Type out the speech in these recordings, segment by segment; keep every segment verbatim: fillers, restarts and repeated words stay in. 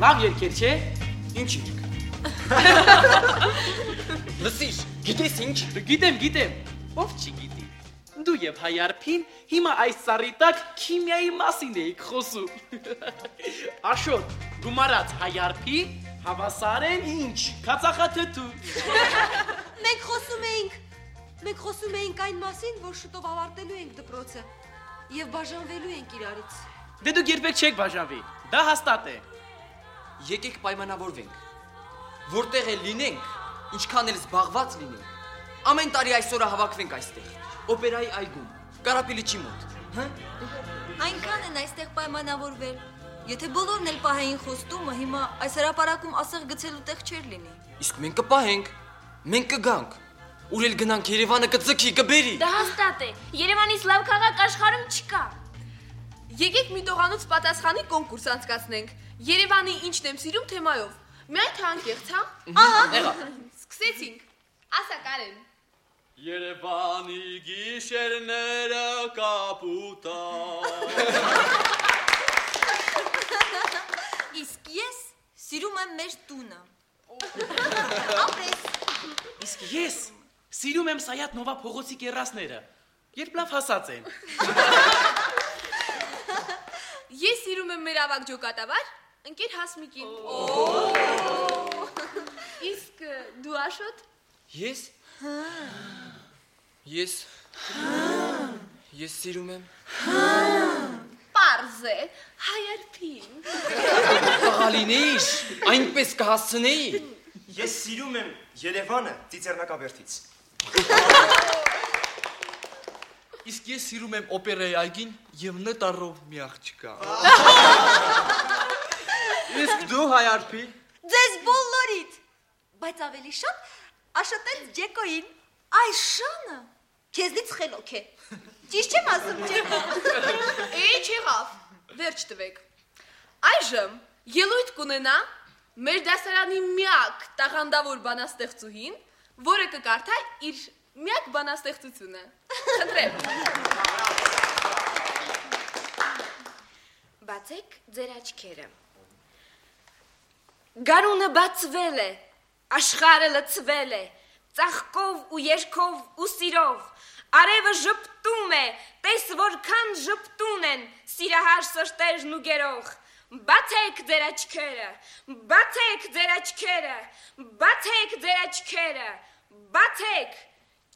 Լավ երկեր չէ։ Ինչ երգ։ Լսիր, գիտես ինչ։ Գիտեմ, գիտեմ։ Ով չգիտի։ Դու եւ Հայարփին հիմա այս ծառի տակ քիմիայի մասին էիք խոսում։ Աշոտ, գումարած Հայարփի, հավասարեն ինչ, կացախաթթու։ Մենք խոսում էինք, մենք խոսում էինք այն մասին, որ շուտով ավարտելու ենք դպրոցը եւ բաժանվելու ենք իրարից։ Դե դուք երբեք չեք բաժանվի, դա հաստատ է։ Եկեք պայմանավորվենք, որտեղ էլ լինենք, ինչքան էլ զբաղված լինենք, ամեն տարի այսօրը հավաքվենք այստեղ, օպերայի այգում, Կարապիլիչի մոտ, հա? Այնքան են այստեղ պայմանավորվել, եթե բոլորն էլ պահեին խոստումը, հիմա այս հրապարակում ասեղ գցելու տեղ չէր լինի։ Իսկ մենք կպահենք, մենք կգանք, ուր էլ գնանք Երևանը կձգի, կբերի։ Դա հաստատ է, Երևանից լավ քաղաք աշխարհում չկա։ Եկեք մի տողանոց պատասխանի կոնկուրս անցկացնենք։ Երևանի ինչն եմ սիրում թեմայով։ Միայն թե անկեղծ, հա։ Ահա, եղա։ Սկսեցինք։ Ասա Կարեն։ Երևանի գիշերները կապուտա։ Իսկ ես սիրում եմ մեր տունը։ Ապրես։ Իսկ ես սիրում եմ Սայաթ Նովա փողոցի կեռասները, երբ լավ հասած են։ Ես սիրում եմ մեր ավագ ջոկատավար, ընկեր Հասմիկին։ Իսկ դու Աշոտ։ Ես։ Ես։ Ես սիրում եմ։ Պարզ է, Հայարփին։ Աղալինեի, այնպես կհասցնեի։ Ես սիրում եմ Երևանը Ծիծեռնակաբերդից։ Իսկ ես սիրում եմ օպերայի այգին եւ նտարով մի աղջկա։ Իսկ դու Հայարփի։ Ձեզ բոլորիդ։ Բայց ավելի շատ Աշոտել Ջեկոին։ Այս շանը քեզնից խելոք է։ Ճիշտ չեմ ասում, Ջեկո։ Էի չեղավ, վերջ տվեք։ Այժմ ելույթ կունենա մեր դասարանի միակ տաղանդավոր բանաստեղծուհին, որը կկարդա իր միակ բանաստեղծությունը։ Խնդրեմ։ Բացեք ձեր աչքերը։ Գարունը բացվել է, աշխարհը լցվել է, ծաղկով ու երգով ու սիրով, արևը ժպտում է, տես որքան ժպտուն են սիրահար սրտերն ու գերող։ Բացեք ձեր աչքերը, բացեք ձեր աչքերը, բացեք ձեր աչքերը, բացեք,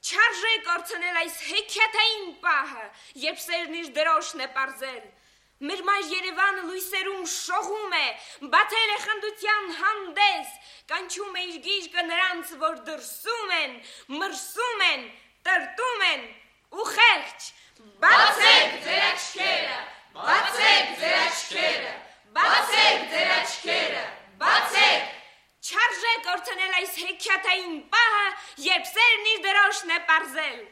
չարժե կորցնել այս հեքիաթային պահը, երբ սերն իր դրոշն է պարզել։ Մեր մայր Երևանը լույսերում շողում է, բացել է խնդության հանդես, կանչում է իր գիրկը նրանց, որ դրսում են, մրսում են, տրտում են ու խեղճ։ Բացեք ձեր աչքերը, բացեք ձեր աչքերը, բացեք ձեր աչքերը, բացեք, չարժե կորցնել այս հեքիաթային պահը, երբ սերն իր դրոշն է պարզել։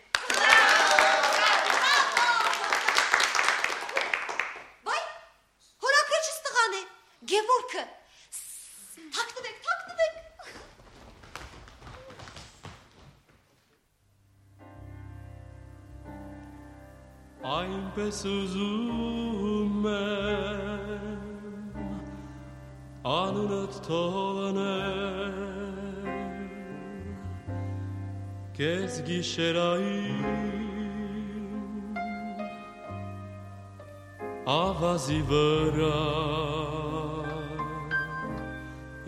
Գևորգը, թաքնվեք, թաքնվեք։ Այնպես ուզում եմ անունդ թողնել կեզ գիշերային ավազի վրա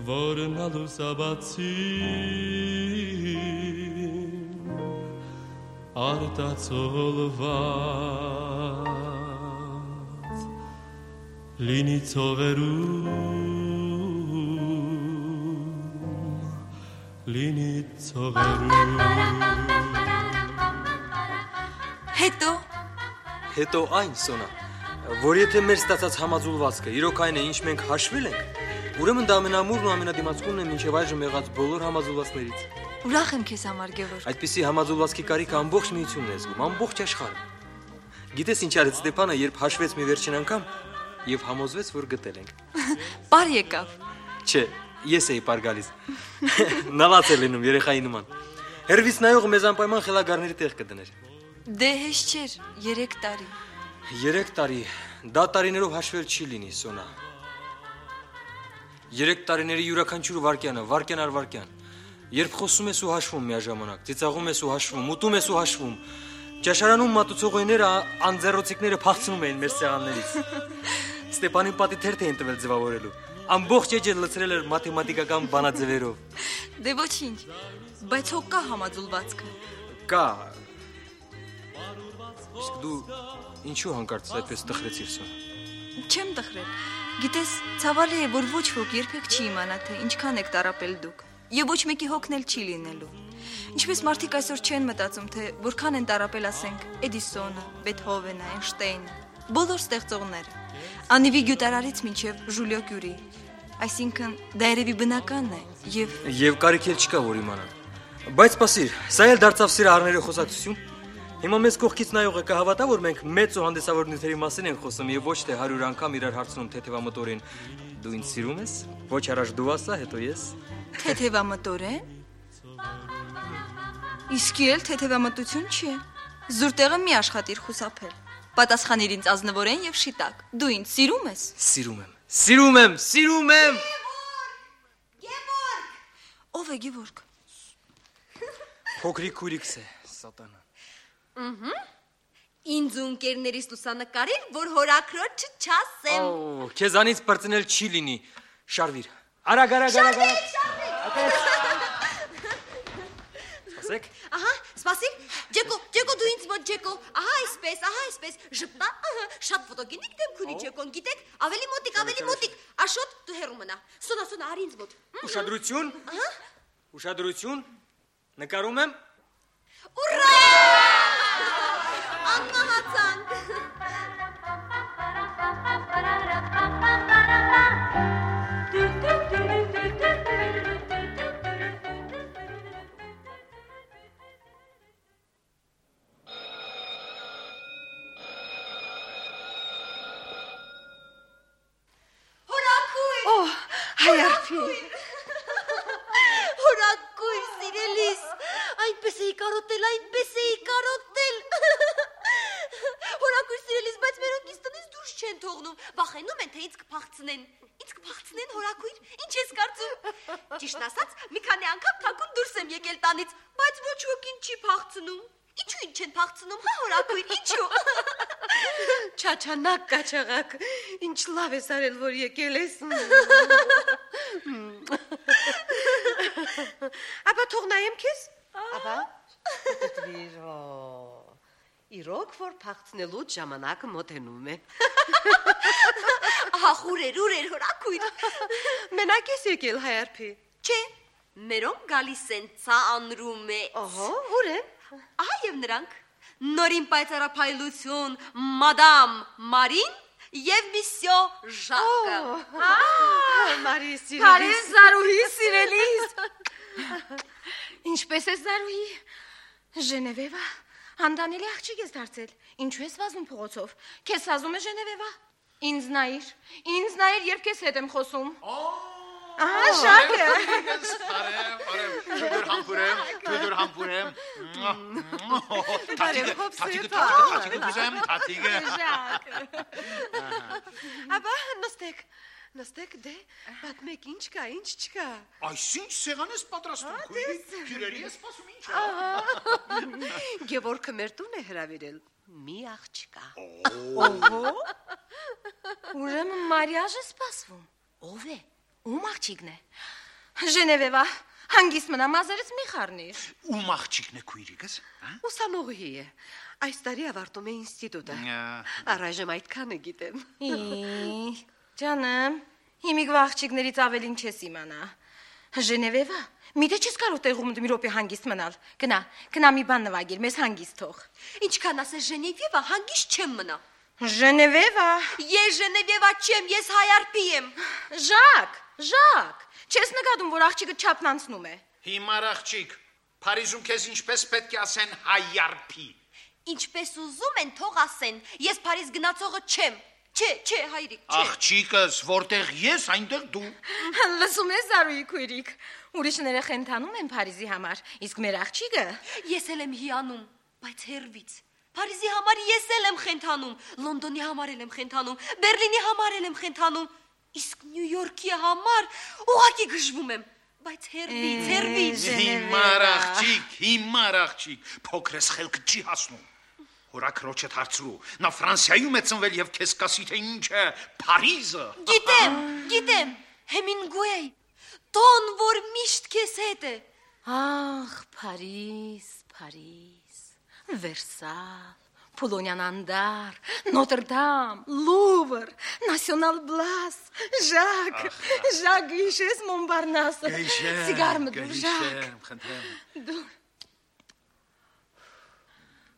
որն ալուսաբացին արտացոլված լինի ցողերում լինի ցողերում Հետո Հետո այն Սոնա որ եթե մեր ստացած համաձուլվածքը իրոք այն է ինչ մենք հաշվել ենք ուրեմն դա ամենամուրն ու ամենադիմացկունն է մինչև այժմ եղած բոլոր համաձուլվածներից Ուրախ եմ քեզ համար Գևորգ Այդպիսի համաձուլվածքի կարիքը ամբողջ միությունն է զգում ամբողջ աշխարհը Գիտես ինչ արեց Ստեփանը երբ հաշվեց մի վերջին անգամ եւ համոզվեց որ գտել ենք Պար եկավ Չէ ես էի պար գալիս Նավաց է լինում երեխայի նման Հերվից նայող մեզ անպայման խելագարների տեղ կդներ Դե հեշտ չէր երեք տարի Երեք տարի դա տարիներով հաշվել չի լինի Սոնա Երեք տարիների յուրաքանչյուր վարքյանը, վարքյան առ վարքյան։ Երբ խոսում ես ու հաշվում միաժամանակ, ծիծաղում ես ու հաշվում, ուտում ես ու հաշվում, ճաշարանում մատուցողները անձեռոցիկները փախցնում էին մեր սեղաններից։ Ստեփանին պատի թերթ էին տվել ձևավորելու։ Ամբողջ էջը լցրել էր մաթեմատիկական բանաձևերով։ Դե ոչինչ, բայց հո կա համաձուլվածքը։ Կա։ Իսկ դու ինչու հանկարծ այդպես տխրեցիր սա։ Չեմ տխրել։ Գիտես, ցավալի է, որ ոչ ոք երբեք չի իմանա, թե ինչքան եք տարապել դուք, եւ ոչ մեկի հոգնել չի լինելու։ Ինչպես մարդիկ այսօր չեն մտածում, թե որքան են տարապել, ասենք, Էդիսոնը, Բեթհովենը, Էյնշտեյնը, բոլոր ստեղծողները, Անիվի գյուտարարից մինչև Ժուլիո Կյուրի։ Այսինքն դա երևի բնական է եւ Եվ կարիք էլ չկա որ իմանան։ Բայց սպասիր, սա էլ դարձավ սիրահարների խոսակցություն։ Հիմա մեզ կողքից նայողը կհավատա, որ մենք մեծ ու հանդիսավոր նյութերի մասին ենք խոսում եւ ոչ թե հարյուր անգամ իրար հարցնում թեթևամտորին։ Դու ինձ սիրում ես։ Ոչ առաջ դու ասա, հետո ես։ Թեթևամտորեն։ Իսկի էլ թեթևամտություն չի։ Զուրտեղը մի աշխատիր խուսափել։ Պատասխանիր ինձ ազնվորեն եւ շիտակ։ Դու ինձ սիրում ես։ Սիրում եմ։ Սիրում եմ, սիրում եմ։ Գևորգ։ Ով է Գևորգ։ Փոքրիկ քուրիկս է, սատանա։ Ահա։ Ինձ ունկերներիս լուսանկարիր, որ հորաքրոջը չասեմ։ Օ, քեզանից բրծնել չի լինի։ Շարվիր։ Արագ, արագ, արագ, արագ։ Սպասեք։ Ահա, սպասիր։ Ջեկո, Ջեկո դու ինձ մոտ Ջեկո։ Ահա այսպես, ահա այսպես։ Ժպտա, ահա, շատ ֆոտոգենիկ դեմք ունի Ջեկոն, գիտեք, ավելի մոտիկ, ավելի մոտիկ։ Աշոտ, դու հեռու մնա։ Սոնա, սոնա, արի ինձ մոտ։ Ուշադրություն։ Ահա։ Ուշադրություն։ Նկարում եմ։ Ուրա! Անմահացանք։ Հորակույր։ Օ, հայարփի։ Հորակույր, սիրելիս։ Այնպես էի կարոտել, այնպես էի կարոտել։ Հորակույր սիրելիս, բայց մերոնք ինձ տնից դուրս չեն թողնում։ Վախենում են, թե ինձ կփախցնեն։ Ինձ կփախցնեն, Հորակույր, ինչ ես կարծում։ Ճիշտն ասած, մի քանի անգամ թաքուն դուրս եմ եկել տանից, բայց ոչ ոքին չի փախցնում։ Ինչու ինձ չեն փախցնում, հա Հորակույր, ինչու։ Չաչանակ կաչաղակ, ինչ լավ ես արել, որ եկել ես։ Ապա թող նայեմ քեզ։ Ապա դվիրո։ Իրոք որ փախցնելու ժամանակը մոտենում է։ Ահա խուրեր, ուրեր Հորակույր։ Մենակ ես եկել հայարփի։ Չէ, մերոնք գալիս են, ցա անրում է։ Ահա, ուր են։ Ահա եւ նրանք։ Նորին պայծառափայլություն, մադամ Մարին եւ միսյո Ժակը։ Ահա, Մարի սիրելիս։ Բարև Զարուհի սիրելիս։ Ինչպես ես Զարուհի։ Ժենևևա, հանդանելի աղջիկ ես դարձել։ Ինչու ես վազում փողոցով։ Քեզ սազում է Ժենևևա։ Ինձ նայիր, ինձ նայիր, երբ քեզ հետ եմ խոսում։ Ահա Ժակը։ Բարև, բարև, քույր համբուրեմ, քույր համբուրեմ։ Թաթիկը, թաթիկը, թաթիկը դուզեմ, թաթիկը։ Ժակ։ Ապա նստեք, նստեք դե, պատմեք ինչ կա, ինչ չկա։ Այսինչ սեղան ես պատրաստում, քույրի, քյուրերի ես սպասում ինչ է։ Գևորգը մեր տուն է հրավիրել, մի աղջկա։ Օհո։ Ուրեմն Մարիաժը սպասվում։ Ով է։ Ում աղջիկն է։ Ժենևևա, հանգիստ մնա, մազերից մի խառնիր։ Ում աղջիկն է քույրիկս, հա։ Ուսանողի է։ Այս տարի ավարտում է ինստիտուտը։ Առայժմ այդքան է գիտեմ։ Ի, ջանեմ, հիմիկվա աղջիկներից ավելին չես իմանա։ Ժենևևա, միթե չես կարող տեղում մի րոպե հանգիստ մնալ։ Գնա, գնա մի բան նվագիր, մեզ հանգիստ թող։ Ինչքան ասես Ժենևևա, հանգիստ չեմ մնա։ Ժենևևա։ Ես Ժենևևա չեմ, ես հայարփի եմ։ Ժակ, Ժակ, չես նկատում, որ աղջիկը չափն անցնում է։ Հիմար աղջիկ, Փարիզում քեզ ինչպես պետք է ասեն հայարփի։ Ինչպես ուզում են, թող ասեն։ Ես Փարիզ գնացողը չեմ։ Չէ, չէ, հայրիկ, չէ։ Աղջիկս, որտեղ ես, այնտեղ դու։ Լսում ես Զարուհի քույրիկ, ուրիշները խենթանում են Փարիզի համար, իսկ մեր աղջիկը։ Ես էլ եմ հիանում, բայց հերվից։ Փարիզի համար ես էլ եմ խենթանում, Լոնդոնի համար էլ եմ խենթանում, Բերլինի համար էլ եմ խենթանում, Իսկ Նյու Յորքի համար ուղղակի գժվում եմ, բայց հերվից, հերվից։ Հիմար աղջիկ, հիմար աղջիկ, փոքրես խելքը չի հասնում։ Հորաքրոջդ հարցրու, նա Ֆրանսիայում է ծնվել եւ քեզ կասի թե ինչ է Փարիզը։ Գիտեմ, գիտեմ, Հեմինգուեյ, տոն, որ միշտ քեզ հետ է։ Ախ, Փարիզ, Փարիզ, Վերսալ, Պոլոնյան Անդար, Նոտրդամ, Լուվր, Նասիոնալ Բլաս, Ժակ, Ժակ գիշես Մոնպարնասը, սիգար մտուր, Ժակ։ Խնդրեմ։ Դու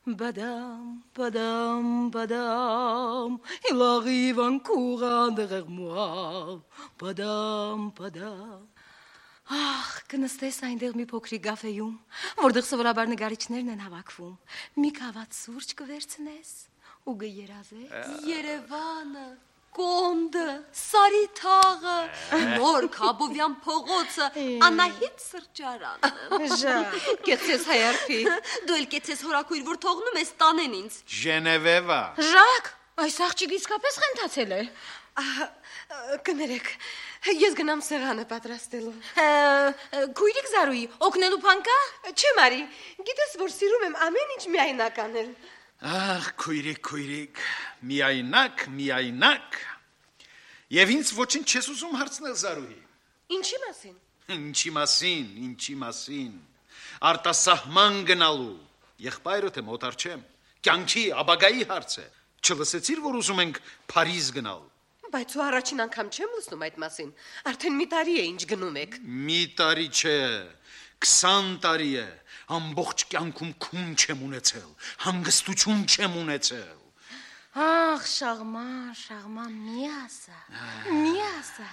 Badam, badam, badam, il arrive un courant derrière moi. Badam, badam. Ախ, կնստես այնտեղ մի փոքրիկ կաֆեյում, որտեղ սովորաբար նկարիչներն են հավաքվում։ Մի կաված սուրճ կվերցնես ու կերազես Երևանը, Կոնդը, Սարիթաղը, նոր Քաբովյան փողոցը, Անահիտ սրճարանը։ Ժա, կեցես հայարփի, դու էլ կեցես հորաքույր, որ թողնում ես տանեն ինձ։ Ժենևևա։ Ժակ, այս աղջիկը իսկապես խենթացել է։ Կներեք, ես գնամ սեղանը պատրաստելու։ Քույրիկ Զարուհի, օգնելու բան կա։ Չէ, Մարի, գիտես, որ սիրում եմ ամեն ինչ միայնակ անել։ Ախ, քույրիկ, քույրիկ, միայնակ, միայնակ։ Եվ ինձ ոչինչ չես ուզում հարցնել Զարուհի։ Ինչի մասին։ Ինչի մասին, ինչի մասին։ Արտասահման գնալու։ Եղբայրդ եմ, օտար չեմ։ Կյանքի ապագայի հարց է։ Չլսեցիր, որ ուզում ենք Փարիզ գնալ։ Բայց ու առաջին անգամ չեմ լսում այդ մասին։ Արդեն մի տարի է ինչ գնում եք։ Մի տարի չէ, քսան տարի է։ Ամբողջ կյանքում քուն չեմ ունեցել, հանգստություն չեմ ունեցել։ Ախ, Շաղման, Շաղման, մի ասա, մի ասա։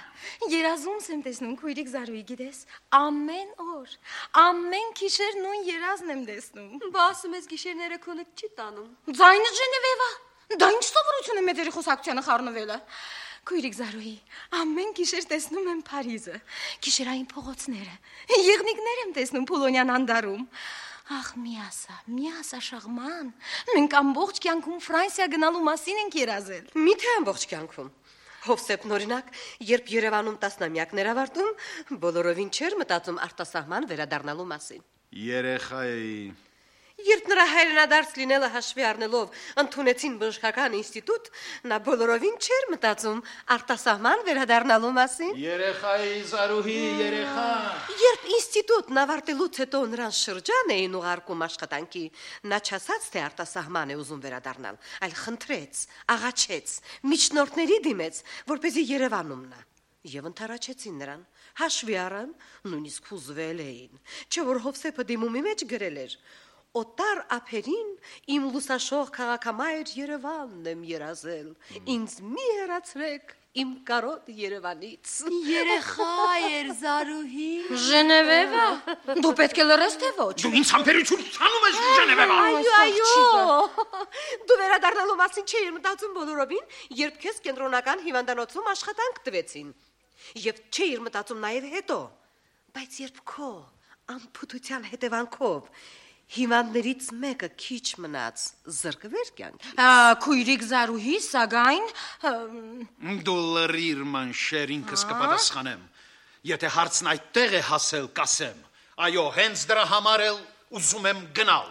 Երազումս եմ տեսնում, քույրիկ Զարուհի, գիտես, ամեն օր, ամեն գիշեր նույն երազն եմ տեսնում։ Բա ասում ես գիշերները քոնը չի տանում։ Ձայնը Ժենևևա։ Դա ինչ սովորություն է մեծ երախոսակցությանը խառնվելը։ Քույրիկ Զարուհի, ամեն գիշեր տեսնում եմ Փարիզը, գիշերային փողոցները, եղնիկներ եմ տեսնում Պոլոնյան Անդարում։ Ախ, մի ասա, մի ասա Շաղման, մենք ամբողջ կյանքում Ֆրանսիա գնալու մասին ենք երազել։ Մի՞թե ամբողջ կյանքում։ Հովսեփն օրինակ, երբ Երևանում տասնամյակներ ավարտում, բոլորովին չէր մտածում արտասահման վերադառնալու մասին։ Երեխա էի։ Երբ նրա հայրենադարձ լինելը հաշվի առնելով ընդունեցին բժշկական ինստիտուտ, նա բոլորովին չէր մտածում արտասահման վերադառնալու մասին։ Երեխա էի, Զարուհի, երեխա։ Երբ ինստիտուտն ավարտելուց հետո նրան շրջան էին ուղարկում աշխատանքի, նա չասաց, թե արտասահման է ուզում վերադառնալ, այլ խնդրեց, աղաչեց, միջնորդների դիմեց, որպեսզի Երևանում նա։ Եվ ընդառաջեցին նրան, հաշվի առան, նույնիսկ հուզվել էին, չէ որ Հովսեփը դիմումի մեջ գրել էր. Օտար ափերին իմ լուսաշող քաղաքամայր Երևանն եմ երազել, ինձ մի հեռացրեք իմ կարոտ Երևանից։ Երեխա էր Զարուհի։ Ժենևևա, դու պետք է լռես թե ոչ։ Դու ինձ համբերություն ցանում ես Ժենևևա։ Այո, այո։ Դու վերադառնալու մասին չէի մտածում բոլորովին, երբ քեզ կենտրոնական հիվանդանոցում աշխատանք տվեցին։ Եվ չէի մտածում նաև հետո, բայց երբ քո անփութության հետևանքով հիվանդներից մեկը քիչ մնաց զրկվեր կյանքի։ Քույրիկ Զարուհի, սակայն դու լրիր մանշեր, ինքս կպատասխանեմ։ Եթե հարցն այդտեղ է հասել, կասեմ։ Այո, հենց դրա համար էլ ուզում եմ գնալ։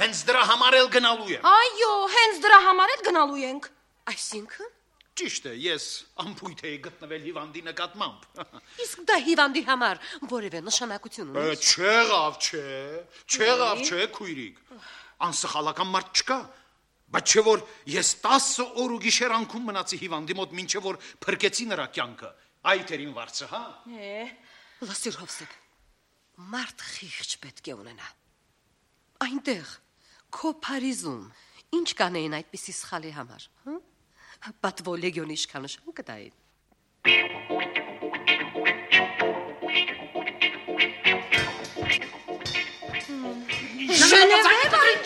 Հենց դրա համար էլ գնալու եմ։ Այո, հենց դրա համար էլ գնալու ենք։ Այսինքն Ճիշտ է, ես ամփույթ էի գտնվել հիվանդի նկատմամբ։ Իսկ դա հիվանդի համար որևէ նշանակություն ունի։ Չեղավ, չէ, չեղավ, չէ, քույրիկ։ Անսխալական մարդ չկա, բայց չէ որ ես տասը օր ու գիշեր անկում մնացի հիվանդի մոտ, մինչև որ փրկեցի նրա կյանքը։ Այդ էր իմ վարձը, հա։ Լսիր Հովսեփ, մարդ խիղճ պետք է ունենա։ Այնտեղ քո Փարիզում ինչ կանեին այդպիսի սխալի համար, հա։ Պատվո լեգիոնի իշխանություն կտային։ Ժենևա,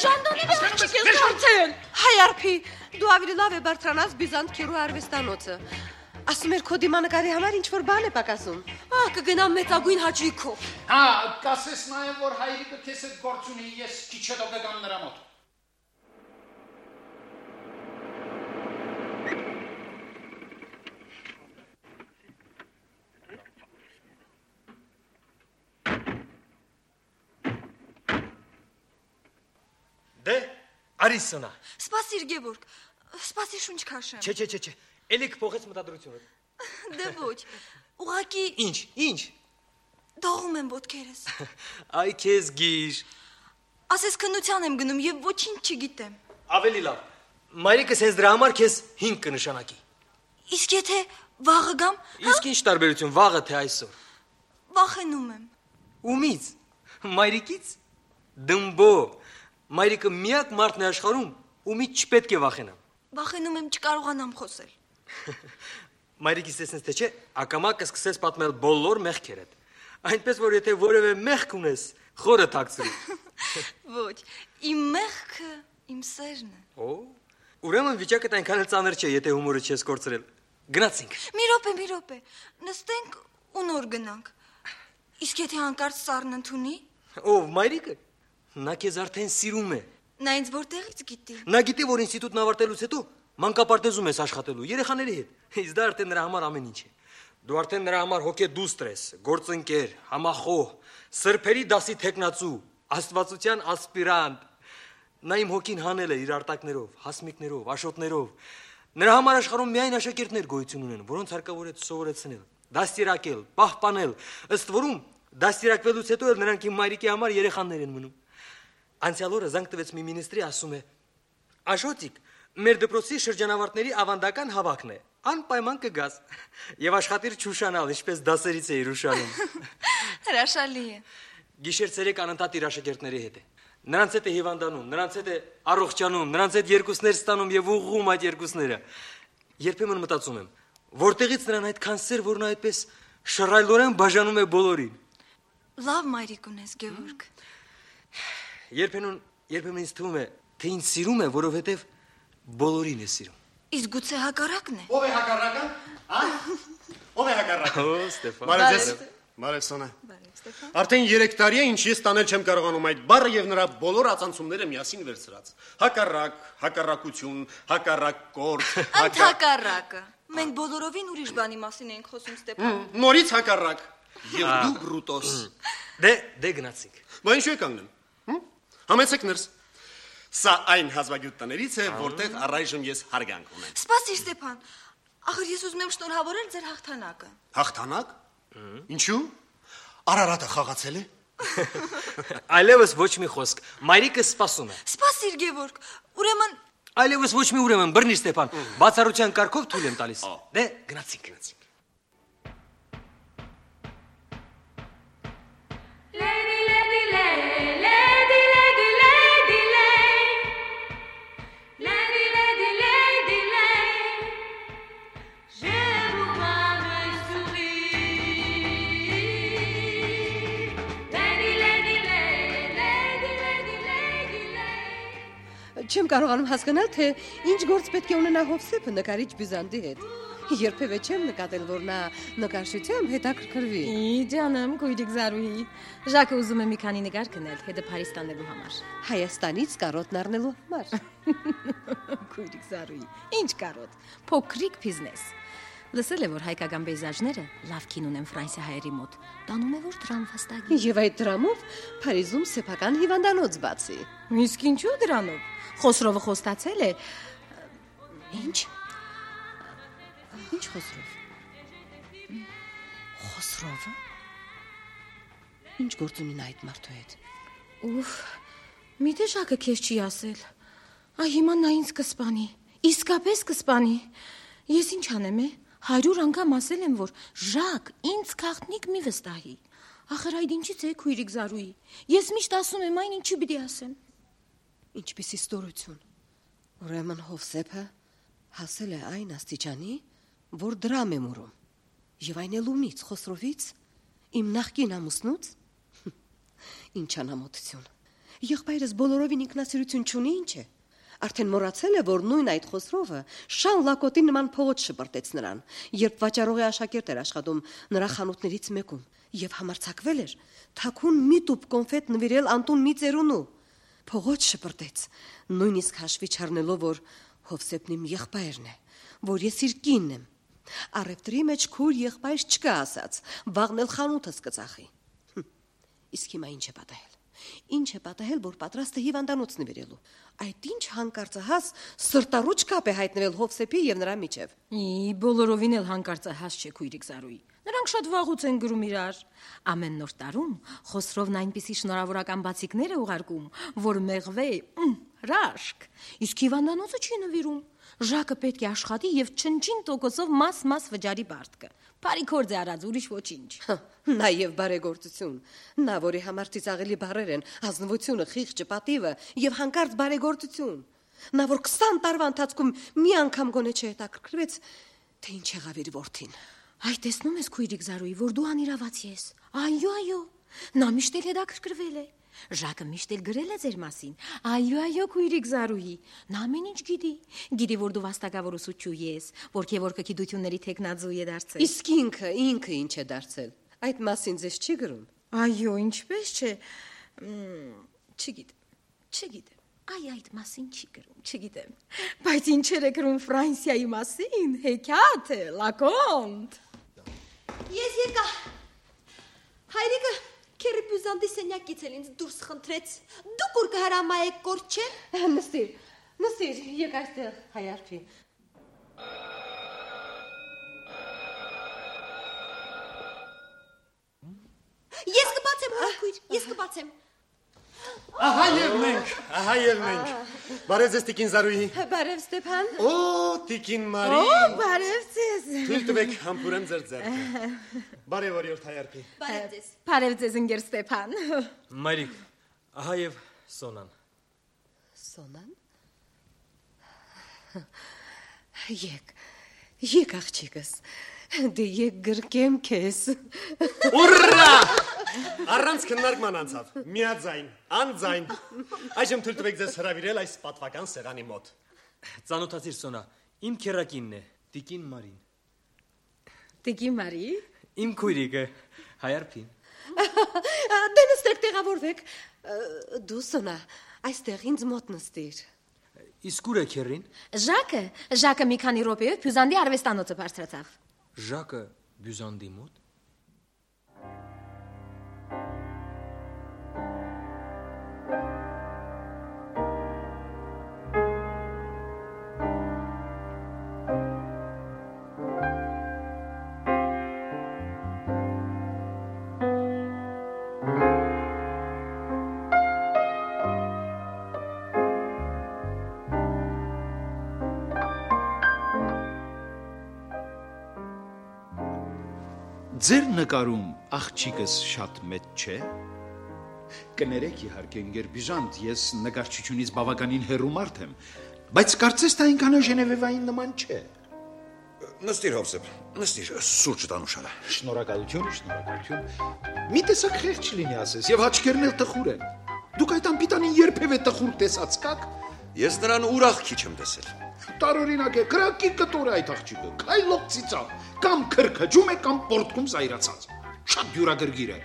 ճանդանի աղջիկ ես դարձել։ Հայարփի, դու ավելի լավ է բարձրանաս Բյուզանտ քերու արվեստանոցը։ Ասում էր քո դիմանկարի համար ինչ-որ բան է պակասում։ Ահ, կգնամ մեծագույն հաճույքով։ Հա, կասես նաև որ հայրիկը քեզ հետ գործ ունի, ես քիչ հետո կգամ նրա մոտ։ Դե, արի սնա։ Սպասիր Գևորգ, սպասիր շունչ քաշեմ։ Չէ, չէ, չէ, չէ։ Էլի կփոխեց մտադրությունը։ Դե ոչ, ուղղակի Ինչ, ինչ։ դողում եմ ոտքերս։ Այ քեզ գիր։ Ասես քննության եմ գնում եւ ոչինչ չգիտեմ։ Ավելի լավ։ Մայրիկս հենց դրա համար քեզ հինգ կնշանակի։ Իսկ եթե վաղը գամ, Իսկ ինչ տարբերություն վաղը թե այսօր։ վախենում եմ։ Ումից։ Մայրիկից։ Դմբո։ Մայրիկը միակ մարդն է աշխարհում, ումից չպետք է վախենամ։ Վախենում եմ չկարողանամ խոսել։ Մայրիկիս տեսնես թե չէ, ակամա կսկսես պատմել բոլոր մեղքերդ։ Այնպես որ եթե որևէ մեղք ունես, խորը թաքցրի։ Ոչ, իմ մեղքը իմ սերն է։ Օ, ուրեմն վիճակդ այնքան էլ ծանր չէ, եթե հումորը չես կորցրել։ Գնացինք։ Մի րոպե, մի րոպե։ Նստենք ու նոր գնանք։ Իսկ եթե հանկարծ սառն ընդունի, Ով մայրիկը։ Նա քեզ արդեն սիրում է։ նա ինձ որտեղից գիտի։ Նա գիտի, որ ինստիտուտն ավարտելուց հետո մանկապարտեզում ես աշխատելու երեխաների հետ։ Իսկ դա արդեն նրա համար ամեն ինչ է։ Դու արդեն նրա համար հոգեդուստր ես, գործընկեր, համախոհ, սրբերի դասի թեկնածու, աստվածության ասպիրանտ։ Նա իմ հոգին հանել է իր արտակներով, հասմիկներով, աշոտներով։ Նրա համար աշխարհում միայն աշակերտներ գոյություն ունեն, որոնց հարկավոր է սովորեցնել, դաստիարակել, պահպանել։ Ըստ որում դաստիարակվելուց հետո էլ նրանք իմ մայրիկի համար երեխաներ են մնում։ Անցյալ օրը զանգ տվեց մի մինիստրի, ասում է. Աշոտիկ, մեր դպրոցի շրջանավարտների ավանդական հավաքն է, անպայման կգաս եւ աշխատիր չուշանալ, ինչպես դասերից էիր ուշանում։ Հրաշալի է։ Գիշեր ցերեկ անընդհատ իր աշակերտների հետ է։ Նրանց հետ է հիվանդանում, նրանց հետ է առողջանում, նրանց հետ երկուսներ ստանում եւ ուղղում այդ երկուսները։ Երբեմն մտածում եմ, որտեղից նրան այդքան սեր, որ նա այդպես շռայլորեն բաժանում է բոլորին։ Լավ մայրիկ ունես, Գևորգ։ Երբեմն, երբեմն ինձ թվում է, թե ինձ սիրում է, որովհետև բոլորին է սիրում։ Իսկ գուցե հակառակն է։ Ով է հակառակը? Ա՞։ Ով է հակառակը? Օ, Ստեփան։ Բարև ձեզ։ Բարև Սոնա։ Արդեն երեք տարի է ինչ ես տանել չեմ կարողանում այդ բառը եւ նրա բոլոր ածանցումները միասին վերցրած։ Հակառակ, հակառակություն, հակառակորդ, Հակառակը։ Մենք բոլորովին ուրիշ բանի մասին ենք խոսում, Ստեփան։ Նորից հակառակ։ Եվ դու բրուտոս։ Դե, դե գնացինք։ Բա ինչու եք կանգնում։ Համեցեք ներս։ Սա այն հազվագյուտներից է, որտեղ առայժմ ես հարգանք ունեմ։ Սպասիր, Ստեփան։ Ախր ես ուզում եմ շնորհավորել ձեր հաղթանակը։ Հաղթանակ։ Ինչու։ Արարատը խաղացել է։ Այլևս ոչ մի խոսք։ Մայրիկը սպասում է։ Սպասիր, Գևորգ։ Ուրեմն Այլևս ոչ մի ուրեմն բռնի Ստեփան։ Բացառության կարգով թույլ եմ տալիս։ Դե գնացինք, գնացինք։ Չեմ կարողանում հասկանալ, թե ինչ գործ պետք է ունենա Հովսեփը նկարիչ Բյուզանդի հետ։ Երբևէ չեմ նկատել, որ նա նկարչությամբ հետաքրքրվի։ Իջանամ, քույրիկ Զարուհի։ Ժակը ուզում է մի քանի նկար գնել, հետը Փարիզ տանելու համար։ Հայաստանից կարոտն առնելու համար։ Քույրիկ Զարուհի, ինչ կարոտ։ Փոքրիկ բիզնես։ Լսել է, որ հայկական պեյզաժները լավ կին ունեն ֆրանսիահայերի մոտ։ Տանում է, որ դրամ վաստակի։ Եվ այդ դրամով Փարիզում սեփական հիվանդանոց բացի։ Իսկ ինչու դրանով։ Խոսրովը խոստացել է։ Ինչ։ Ինչ Խոսրով։ Խոսրովը։ Ինչ գործ ունի նա այդ մարդու հետ։ Ուֆ, միթե Ժակը քեզ չի ասել։ Այ հիմա նա ինձ կսպանի։ Իսկապես կսպանի։ Ես ինչ անեմ, է։ Հարյուր անգամ ասել եմ, որ Ժակ ինձ քաղտնիկ մի վստահի։ Ախր այդ ինչից է, քույրիկ Զարուհի։ Ես միշտ ասում եմ, այն ինչի պիտի ասեմ։ Ինչպիսի ստորություն։ Ուրեմն Հովսեփը հասել է այն աստիճանի, որ դրամ է մուրում։ Եվ այն էլ ումից, Խոսրովից, իմ նախկին ամուսնուց։ Ինչ անամոթություն։ Եղբայրս բոլորովին ինքնասիրություն չունի, ինչ է։ Արդեն մոռացել է, որ նույն այդ Խոսրովը շան լակոտի նման փողոց շպրտեց նրան, երբ վաճառողի աշակերտ էր աշխատում նրա խանութներից մեկում, եւ համարձակվել էր թաքուն մի տուփ կոնֆետ նվիրել Անտուն մի ծերունու։ Փողոց շպրտեց, նույնիսկ հաշվի չառնելով, որ Հովսեփն իմ եղբայրն է, որ ես իր կինն եմ։ Առևտրի մեջ քուր եղբայր չկա ասած, վաղն էլ խանութս կծախի։ Իսկ հիմա ինչ է պատահել։ Ինչ է պատահել, որ պատրաստ է հիվանդանոց նվիրելու։ Այդ ինչ հանկարծահաս սրտառուչ կապ է հայտնվել Հովսեփի եւ նրա միջև։ Ի բոլորովին էլ հանկարծահաս չէ քույրիկ Զարուհի։ Նրանք շատ վաղուց են գրում իրար։ Ամեն նոր տարում Խոսրովն այնպիսի շնորհավորական բացիկներ է ուղարկում, որ մեղվե հրաշք։ Իսկ հիվանդանոցը չի նվիրում։ Ժակը պետք է աշխատի եւ չնչին տոկոսով մաս-մաս վճարի բարտկը։ Բարի գործ է արած, ուրիշ ոչինչ։ Նաեւ բարեգործություն։ Նա, որի համար ծիծաղելի բառեր են ազնվությունը, խիղճը, պատիվը եւ հանկարծ բարեգործություն։ Նա, որ քսան տարվա ընթացքում մի անգամ գոնե չհետաքրքրվեց, թե ինչ եղավ իր որդին։ Այ տեսնում ես քույրիկ Զարուհի, որ դու անիրավացի ես։ Այո, այո։ Նա միշտ էլ հետաքրքրվել է։ Ժակը միշտ էլ գրել է ձեր մասին։ Այո, այո, քույրիկ Զարուհի։ Նա ամեն ինչ գիտի։ Գիտի, որ դու վաստակավոր ուսուցչու ես, որ քեվորքը գիտությունների տեխնազու է դարձել։ Իսկ ինքը, ինքը ինչ է դարձել։ Այդ մասին ձեզ չի գրում։ Այո, ինչպես չէ։ Չգիտեմ, չգիտեմ։ Այ այդ մասին չի գրում, չգիտեմ։ Բայց ինչեր է գրում Ֆրանսիայի մասին, հեքիաթ է, լակոնտ։ Ես եկա։ Հայրիկը քերի բյուզանդի սենյակից էլ ինձ դուրս խնդրեց։ Դուք ուր կհրամայեք կորդ չէ։ Նստիր, նստիր, եկ այստեղ, Հայարփի։ Ես կբացեմ, հորքույր, ես կբացեմ։ Ահա եւ մենք, ահա եւ մենք։ Բարև ձեզ Տիկին Զարուհի։ Բարև Ստեփան։ Օ, Տիկին Մարի։ Օ, բարև ձեզ։ Թույլ տվեք համբուրեմ ձեր ձեռքը։ Բարև օրիորդ Հայարփի։ Բարև ձեզ։ Բարև ձեզ ընկեր Ստեփան։ Մայրիկ, ահա եւ Սոնան։ Սոնան։ Եկ, եկ աղջիկս։ Դե եկ գրկեմ քեզ։ Ուռա! Առանց քննարկման անցավ։ Միաձայն, անձայն։ Այժմ թույլ տվեք ձեզ հրավիրել այս պատվական սեղանի մոտ։ Ծանոթացիր Սոնա, իմ քերակինն է, Տիկին Մարին։ Տիկին Մարի։ Իմ քույրիկը, Հայարփին։ Դե նստեք, տեղավորվեք։ Դու Սոնա, այստեղ ինձ մոտ նստիր։ Իսկ ուր է քերին։ Ժակը, Ժակը մի քանի րոպեով Բյուզանդի արվեստանոցը բարձրացավ։ Ժակը Բյուզանդի մոտ։ Ձեր նկարում աղջիկս շատ մեծ չէ։ Կներեք իհարկե ընկեր Բյուզանդ, ես նկարչությունից բավականին հեռու մարդ եմ, բայց կարծես թե այնքան Ժնևևային նման չէ։ Նստիր Հովսեփ, նստիր, սուրճ տանուշարա։ Շնորհակալություն, շնորհակալություն։ Մի տեսակ խեղճ լինի ասես, եւ աչքերն էլ տխուր են։ Դուք այդ անպիտանին երբևէ տխուր տեսած կաք։ Ես նրան ուրախ քիչ եմ տեսել։ Տարօրինակ է, քրակի կտոր է այդ աղջիկը, քայլող ծիծաղ, կամ քրքջում է, կամ պորտկում զայրացած։ Շատ դյուրագրգիր է։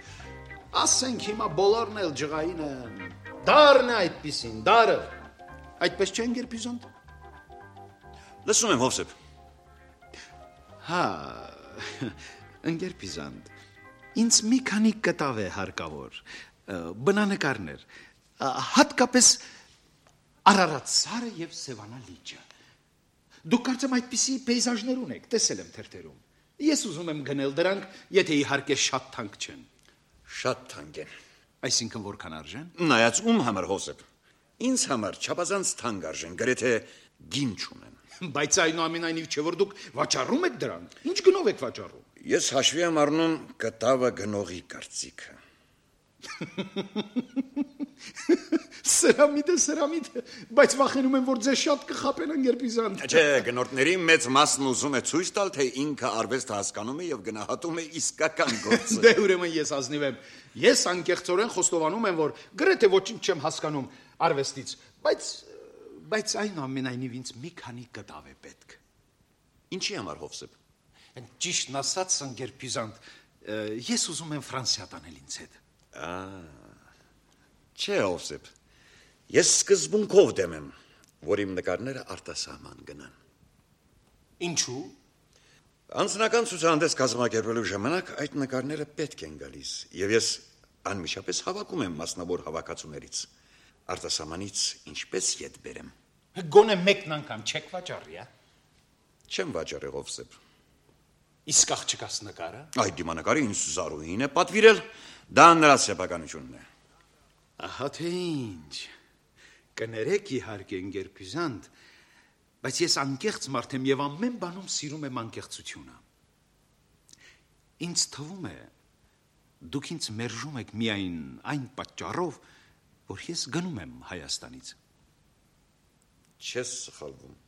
Ասենք հիմա բոլորն էլ ջղային են։ Դարն է այդպեսին, դարը։ Այդպես չէ ընկեր Բյուզանդ։ Լսում եմ Հովսեփ։ Հա, ընկեր Բյուզանդ, ինձ մի քանի կտավ է հարկավոր, բնանկարներ, հատկապես Արարատ սարը եւ Սևանա լիճը։ Դուք կարծեմ այդպիսի պեյզաժներ ունեք, տեսել եմ թերթերում։ Ես ուզում եմ գնել դրանք, եթե իհարկե շատ թանկ չեն։ Շատ թանկ են։ Այսինքն որքան արժեն։ Նայած ում համար Հովսեփ։ Ինձ համար չափազանց թանկ արժեն, գրեթե գին չունեն։ Բայց այնուամենայնիվ չէ որ դուք վաճառում եք դրանք։ Ինչ գնով եք վաճառում։ Ես հաշվի եմ առնում կտավը գնողի կարծիքը։ Սերամիտ է, սերամիտ է, բայց վախենում եմ, որ ձեզ շատ կխապեն ընկեր Բյուզանդ։ Չէ, գնորդների մեծ մասն ուզում է ցույց տալ, թե ինքը արվեստը հասկանում է եւ գնահատում է իսկական գործը։ Դե ուրեմն ես ազնիվ եմ։ Ես անկեղծորեն խոստովանում եմ, որ գրեթե ոչինչ չեմ հասկանում արվեստից, բայց բայց այնուամենայնիվ ինձ մի քանի կտավ է պետք։ Ինչի համար Հովսեփ։ Ճիշտն ասած, ընկեր Բյուզանդ, ես ուզում եմ Ֆրանսիա տանել ինձ հետ։ Ա Չէ, Հովսեփ։ Ես սկզբունքով դեմ եմ, որ իմ նկարները արտասահման գնան։ Ինչու՞։ Անձնական ցուցահանդես կազմակերպելու ժամանակ այդ նկարները պետք են գալիս, եւ ես Անմիջապես հավաքում եմ մասնավոր հավաքածուներից։ Արտասահմանից ինչպես ետ բերեմ։ Գոնե մեկն անգամ չեք վաճառի, հա։ Չեմ վաճառել Հովսեփ։ Իսկ աղջկաս նկարը։ Այդ դիմանկարը ինձ Զարուհին է պատվիրել, դա նրա սեփականությունն է։ Ահա թե ինչ։ Կներեք իհարկե ընկերբյուզանտ, բայց ես անկեղծ մարդ եմ եւ ամեն բանում սիրում եմ անկեղծությունը։ Ինձ թվում է, դուք ինձ մերժում եք միայն այն պատճառով, որ ես գնում եմ Հայաստանից։ Չես սխալվում։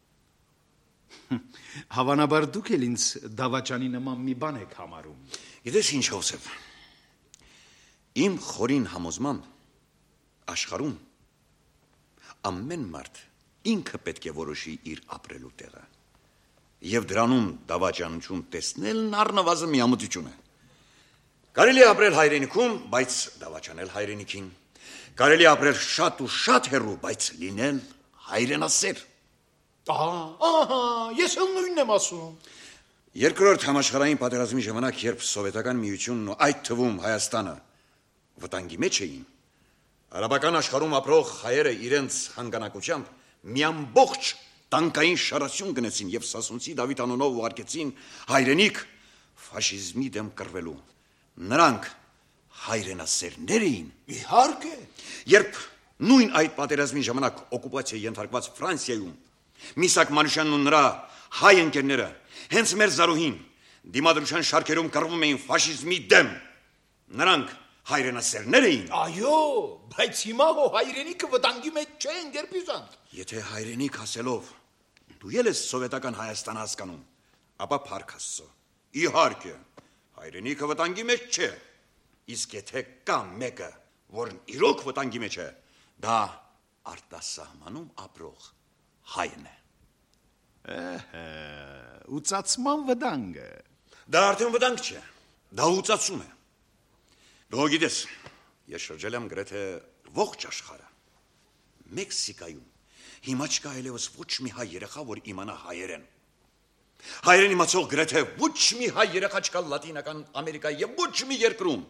Հավանաբար դուք էլ ինձ դավաճանի նման մի բան եք համարում։ Գիտես ինչ Հովսեփ, իմ խորին համոզմամբ աշխարհում ամեն մարդ ինքը պետք է որոշի իր ապրելու տեղը։ Եվ դրանում դավաճանություն տեսնելն առնվազն միամտություն է։ Կարելի է ապրել հայրենիքում, բայց դավաճանել հայրենիքին։ Կարելի է ապրել շատ ու շատ հեռու, բայց լինել հայրենասեր։ Ահա, ահա, ես էլ նույնն եմ ասում։ Երկրորդ համաշխարհային պատերազմի ժամանակ, երբ սովետական միությունն ու այդ թվում Հայաստանը վտանգի մեջ էին, արաբական աշխարհում ապրող հայերը իրենց հանգանակությամբ մի ամբողջ տանկային շարասյուն գնեցին եւ Սասունցի Դավիթ անունով ուղարկեցին հայրենիք ֆաշիզմի դեմ կռվելու։ Նրանք հայրենասերներ էին։ Իհարկե։ Երբ նույն այդ պատերազմի ժամանակ օկուպացիայի ենթարկված Ֆրանսիայում Միսակ Մանուշյանն ու նրա հայ ընկերները հենց մեր Զարուհին դիմադրության շարքերում կռվում էին ֆաշիզմի դեմ, նրանք հայրենասերներ էին։ Այո, բայց հիմա հո հայրենիքը վտանգի մեջ չէ, ընկերբյուզանտ։ Եթե հայրենիք ասելով դու ել ես սովետական Հայաստան հասկանում, ապա փառք Աստծո։ Իհարկե, հայրենիքը վտանգի մեջ չէ։ Իսկ եթե կա մեկը, որն իրոք վտանգի մեջ է, դա արտասահմանում ապրող հայն է։ Ահա, ուծացման վտանգը։ Դա արդեն վտանգ չէ, դա ուծացում է։ Դու գիտես, ես շրջել եմ գրեթե ողջ աշխարհը։ Մեքսիկայում հիմա չկա այլևս ոչ մի հայ երեխա, որ իմանա հայերեն։ Հայերեն իմացող գրեթե ոչ մի հայ երեխա չկա Լատինական Ամերիկայի եւ ոչ մի երկրում։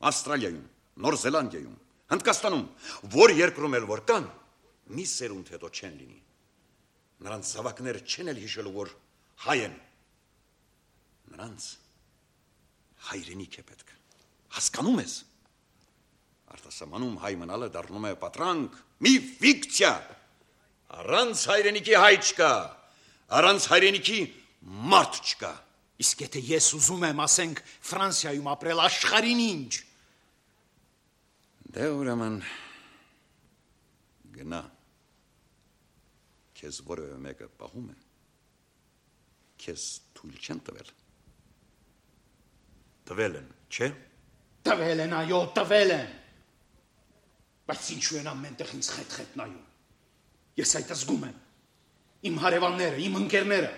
Ավստրալիայում, Նոր Զելանդիայում, Հնդկաստանում, որ երկրում էլ որ կան, մի սերունդ հետո չեն լինի։ Նրանց զավակները չեն էլ հիշելու, որ հայ են։ Նրանց հայրենիք է պետք։ Հասկանում ես։ Արտասահմանում հայ մնալը դառնում է պատրանք, մի ֆիկցիա։ Առանց հայրենիքի հայ չկա, առանց հայրենիքի մարդ չկա։ Իսկ եթե ես ուզում եմ, ասենք, Ֆրանսիայում ապրել, աշխարհին ինչ։ Դե ուրեմն գնա։ Քեզ որևէ մեկը պահում է, քեզ թույլ չեն տվել։ Տվել են, չէ՞։ Տվել են, այո, տվել են։ Բայց ինչու են ամենտեղ ինձ խետ-խետ նայում։ Ես այդ զգում եմ։ Իմ հարևանները, իմ ընկերները,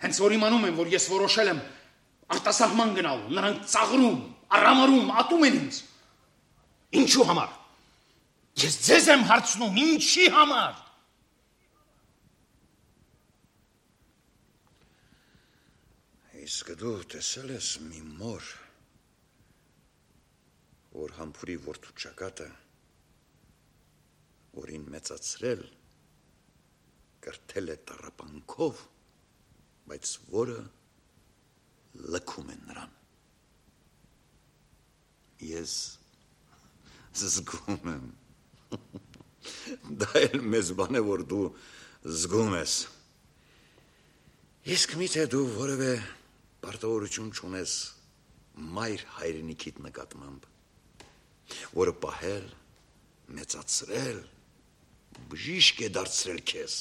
հենց որ իմանում են, որ ես որոշել եմ արտասահման գնալու, նրանք ծաղրում, արամարում, ատում են ինձ։ Ինչու համար։ Ես ձեզ եմ հարցնում, ինչի համար։ Իսկ դու տեսել ես մի մոր, որ համբուրի որդու ճակատը, որին մեծացրել, կրթել է տառապանքով, բայց որը լքում է նրան։ Ես զգում եմ։ Դա էլ մեզ բան է, որ դու զգում ես։ Իսկ միթե դու որևէ պարտավորություն չունես մայր հայրենիքիդ նկատմամբ, որը պահել, մեծացրել, բժիշկ է դարձրել քեզ։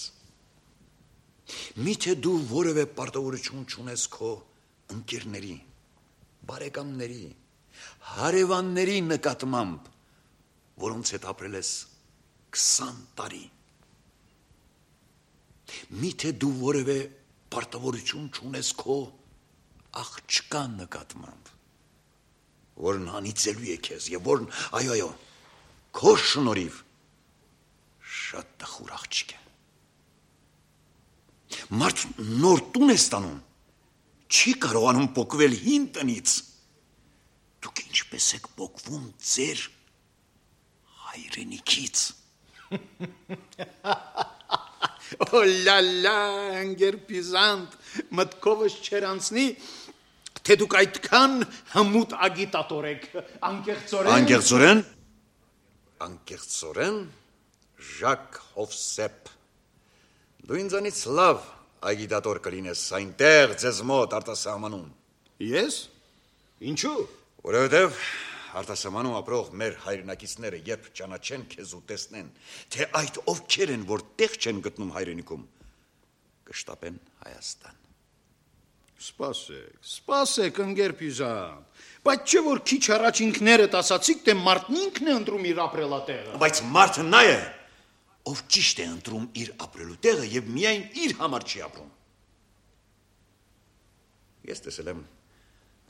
Միթե դու որևէ պարտավորություն չունես քո ընկերների, բարեկամների, հարևանների նկատմամբ, որոնց հետ ապրել ես քսան տարի։ Միթե դու որևէ պարտավորություն չունես քո աղջկա նկատմամբ, որն անիծելու է քեզ եւ որն, այո, այո, քո շնորհիվ շատ տխուր աղջիկ է։ Մարդ նոր տուն է ստանում, չի կարողանում փոխվել հին տնից։ դուք ինչպես եք փոխվում ձեր հայրենիքից։ Օլալա, անգերպիզանտ, մտքովս չեր անցնի, թե դուք այդքան հմուտ ագիտատոր եք, անկեղծորեն։ Անկեղծորեն։ Անկեղծորեն Ժակ Հովսեփ։ Դու ինձանից լավ ագիտատոր կլինես այնտեղ ձեզ մոտ արտասահմանում։ Ես։ Ինչու։ Որովհետև արտասահմանում ապրող մեր հայրենակիցները երբ ճանաչեն քեզ ու տեսնեն, թե այդ ովքեր են, որ տեղ չեն գտնում հայրենիքում, կշտապեն Հայաստան։ Սպասեք, սպասեք, անգերպիզանտ, բայց չէ որ քիչ առաջ ինքներդ ասացիք, թե մարդն ինքն է ընտրում իր ապրելատեղը։ Բայց մարդը նա է, ով ճիշտ է ընտրում իր ապրելու տեղը եւ միայն իր համար չի ապրում։ Ես տեսել եմ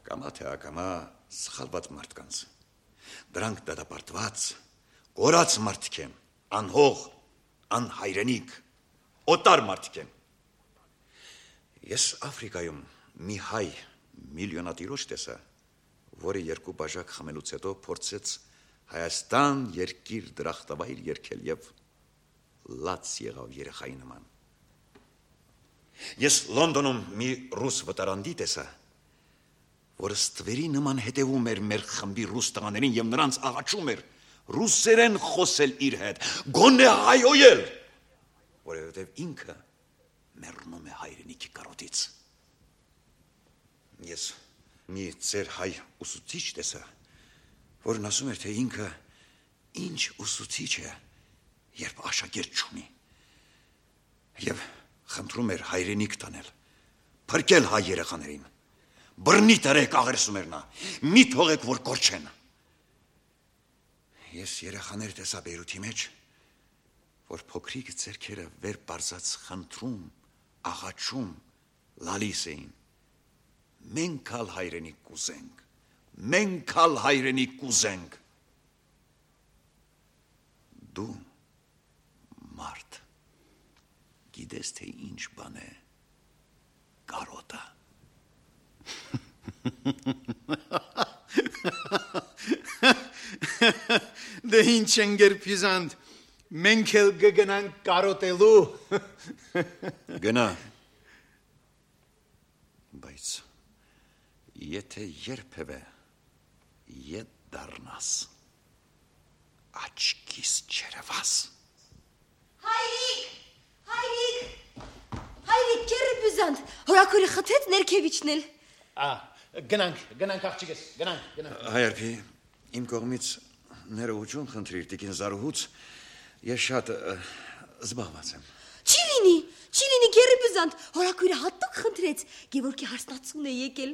կամա թե ակամա սխալված մարդկանց։ Դրանք դատապարտված, կորած մարդիկ են, անհող, անհայրենիք, օտար մարդիկ են։ Ես Աֆրիկայում մի հայ միլիոնատիրոջ տեսա, որը երկու բաժակ խմելուց հետո փորձեց Հայաստան երկիր դրախտավայր երգել եւ լաց եղավ երեխայի նման։ Ես Լոնդոնում մի ռուս վտարանդի տեսա, որը ստվերի նման հետևում էր մեր խմբի ռուս տղաներին եւ նրանց աղաչում էր ռուսերեն խոսել իր հետ, գոնե հայոյել, որովհետեւ ինքը մեռնում է հայրենիքի կարոտից։ Ես մի ծեր հայ ուսուցիչ տեսա, որն ասում էր, թե ինքը ինչ ուսուցիչ է, երբ աշակերտ չունի, եւ խնդրում էր հայրենիք տանել, փրկել հայ երեխաներին, բռնի տերեք աղերսում էր նա, մի թողեք, որ կորչեն։ Ես երեխաներ տեսա Բեյրութի մեջ, որ փոքրիկ ձեռքերը վեր բարձած խնդրում, աղաչում, լալիս էին։ Մենք ալ հայրենիք կուզենք, մենք ալ հայրենիք կուզենք։ Դու մարդ, գիտես, թե ինչ բան է կարոտը։ Դե ինչ անգերպիզանտ, մենք էլ կգնանք կարոտելու։ Գնա։ Բայց եթե երբևէ ետ դառնաս, աչքիս չերևաս։ Հայրիկ, հայրիկ, հայրիկ, անգերպիզանտ, հորաքորը խթեց ներքևիչնել։ Ա, գնանք, գնանք աղջիկս, գնանք, գնանք։ Հայրպի, իմ կողմից ներողություն խնդրիր տիկին Զարուհուց, ես շատ զբաղված եմ։ Չի լինի, չի լինի անգերպիզանտ, հորաքորը հատուկ խնդրեց, Գևորգի հարստացուն է եկել,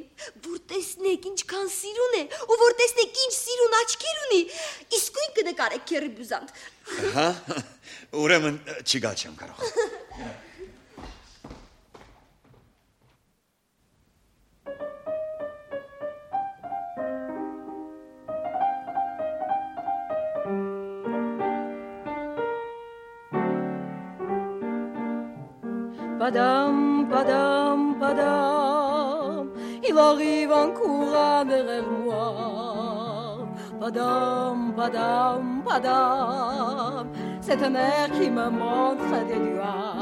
որ տեսնեք ինչքան սիրուն է, ու որ տեսնեք ինչ սիրուն աչքեր ունի, իսկույն կնկարեք անգերպիզանտ։ Հա, ուրեմն չգա չեմ կարող։ Padam, padam, padam, il arrive un courant derrière moi. Padam, padam, padam, c'est un air qui me montre des doigts.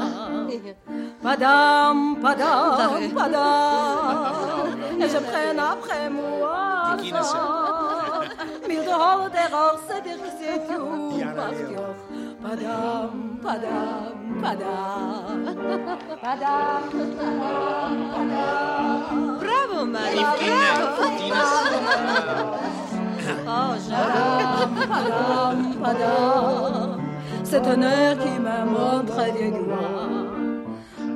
Padam, padam, padam, et je prenne après moi. Mille de hol der Rose der Gesetz, padam, padam. Padam, padam, padam. Bravo, Maria. Oh, padam, padam, padam. C'est un air qui me montre des doigts.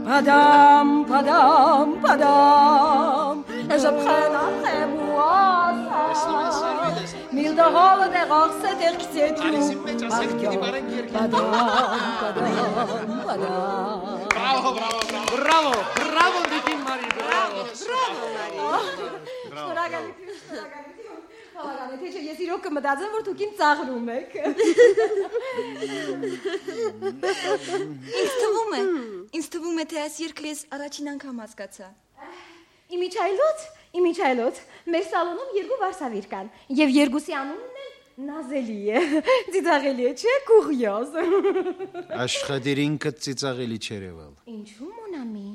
Padam, padam, padam. Et je prenne après moi ça. Mille de hol der Rose der Gesetz. Padam, padam, padam. Bravo, bravo, bravo. Bravo, bravo, Տիկին Մարի, bravo. Bravo, Մարի. Շնորհակալություն, շնորհակալություն։ Հավանաբար թե ես իրոք կմտածեմ, որ դուք ինձ ծաղրում եք։ Ինձ թվում է, ինձ թվում է, թե այս երգը ես առաջին անգամ հասկացա։ Իմիջայլոց Իմիջայլոց, մեր սալոնում երկու վարսավիր կան, եւ երկուսի անունն էլ նազելի է, ծիծաղելի է, չէ, կուրյոզ։ Աշխատերինքը ծիծաղելի չերևալ։ Ինչու մոնամի։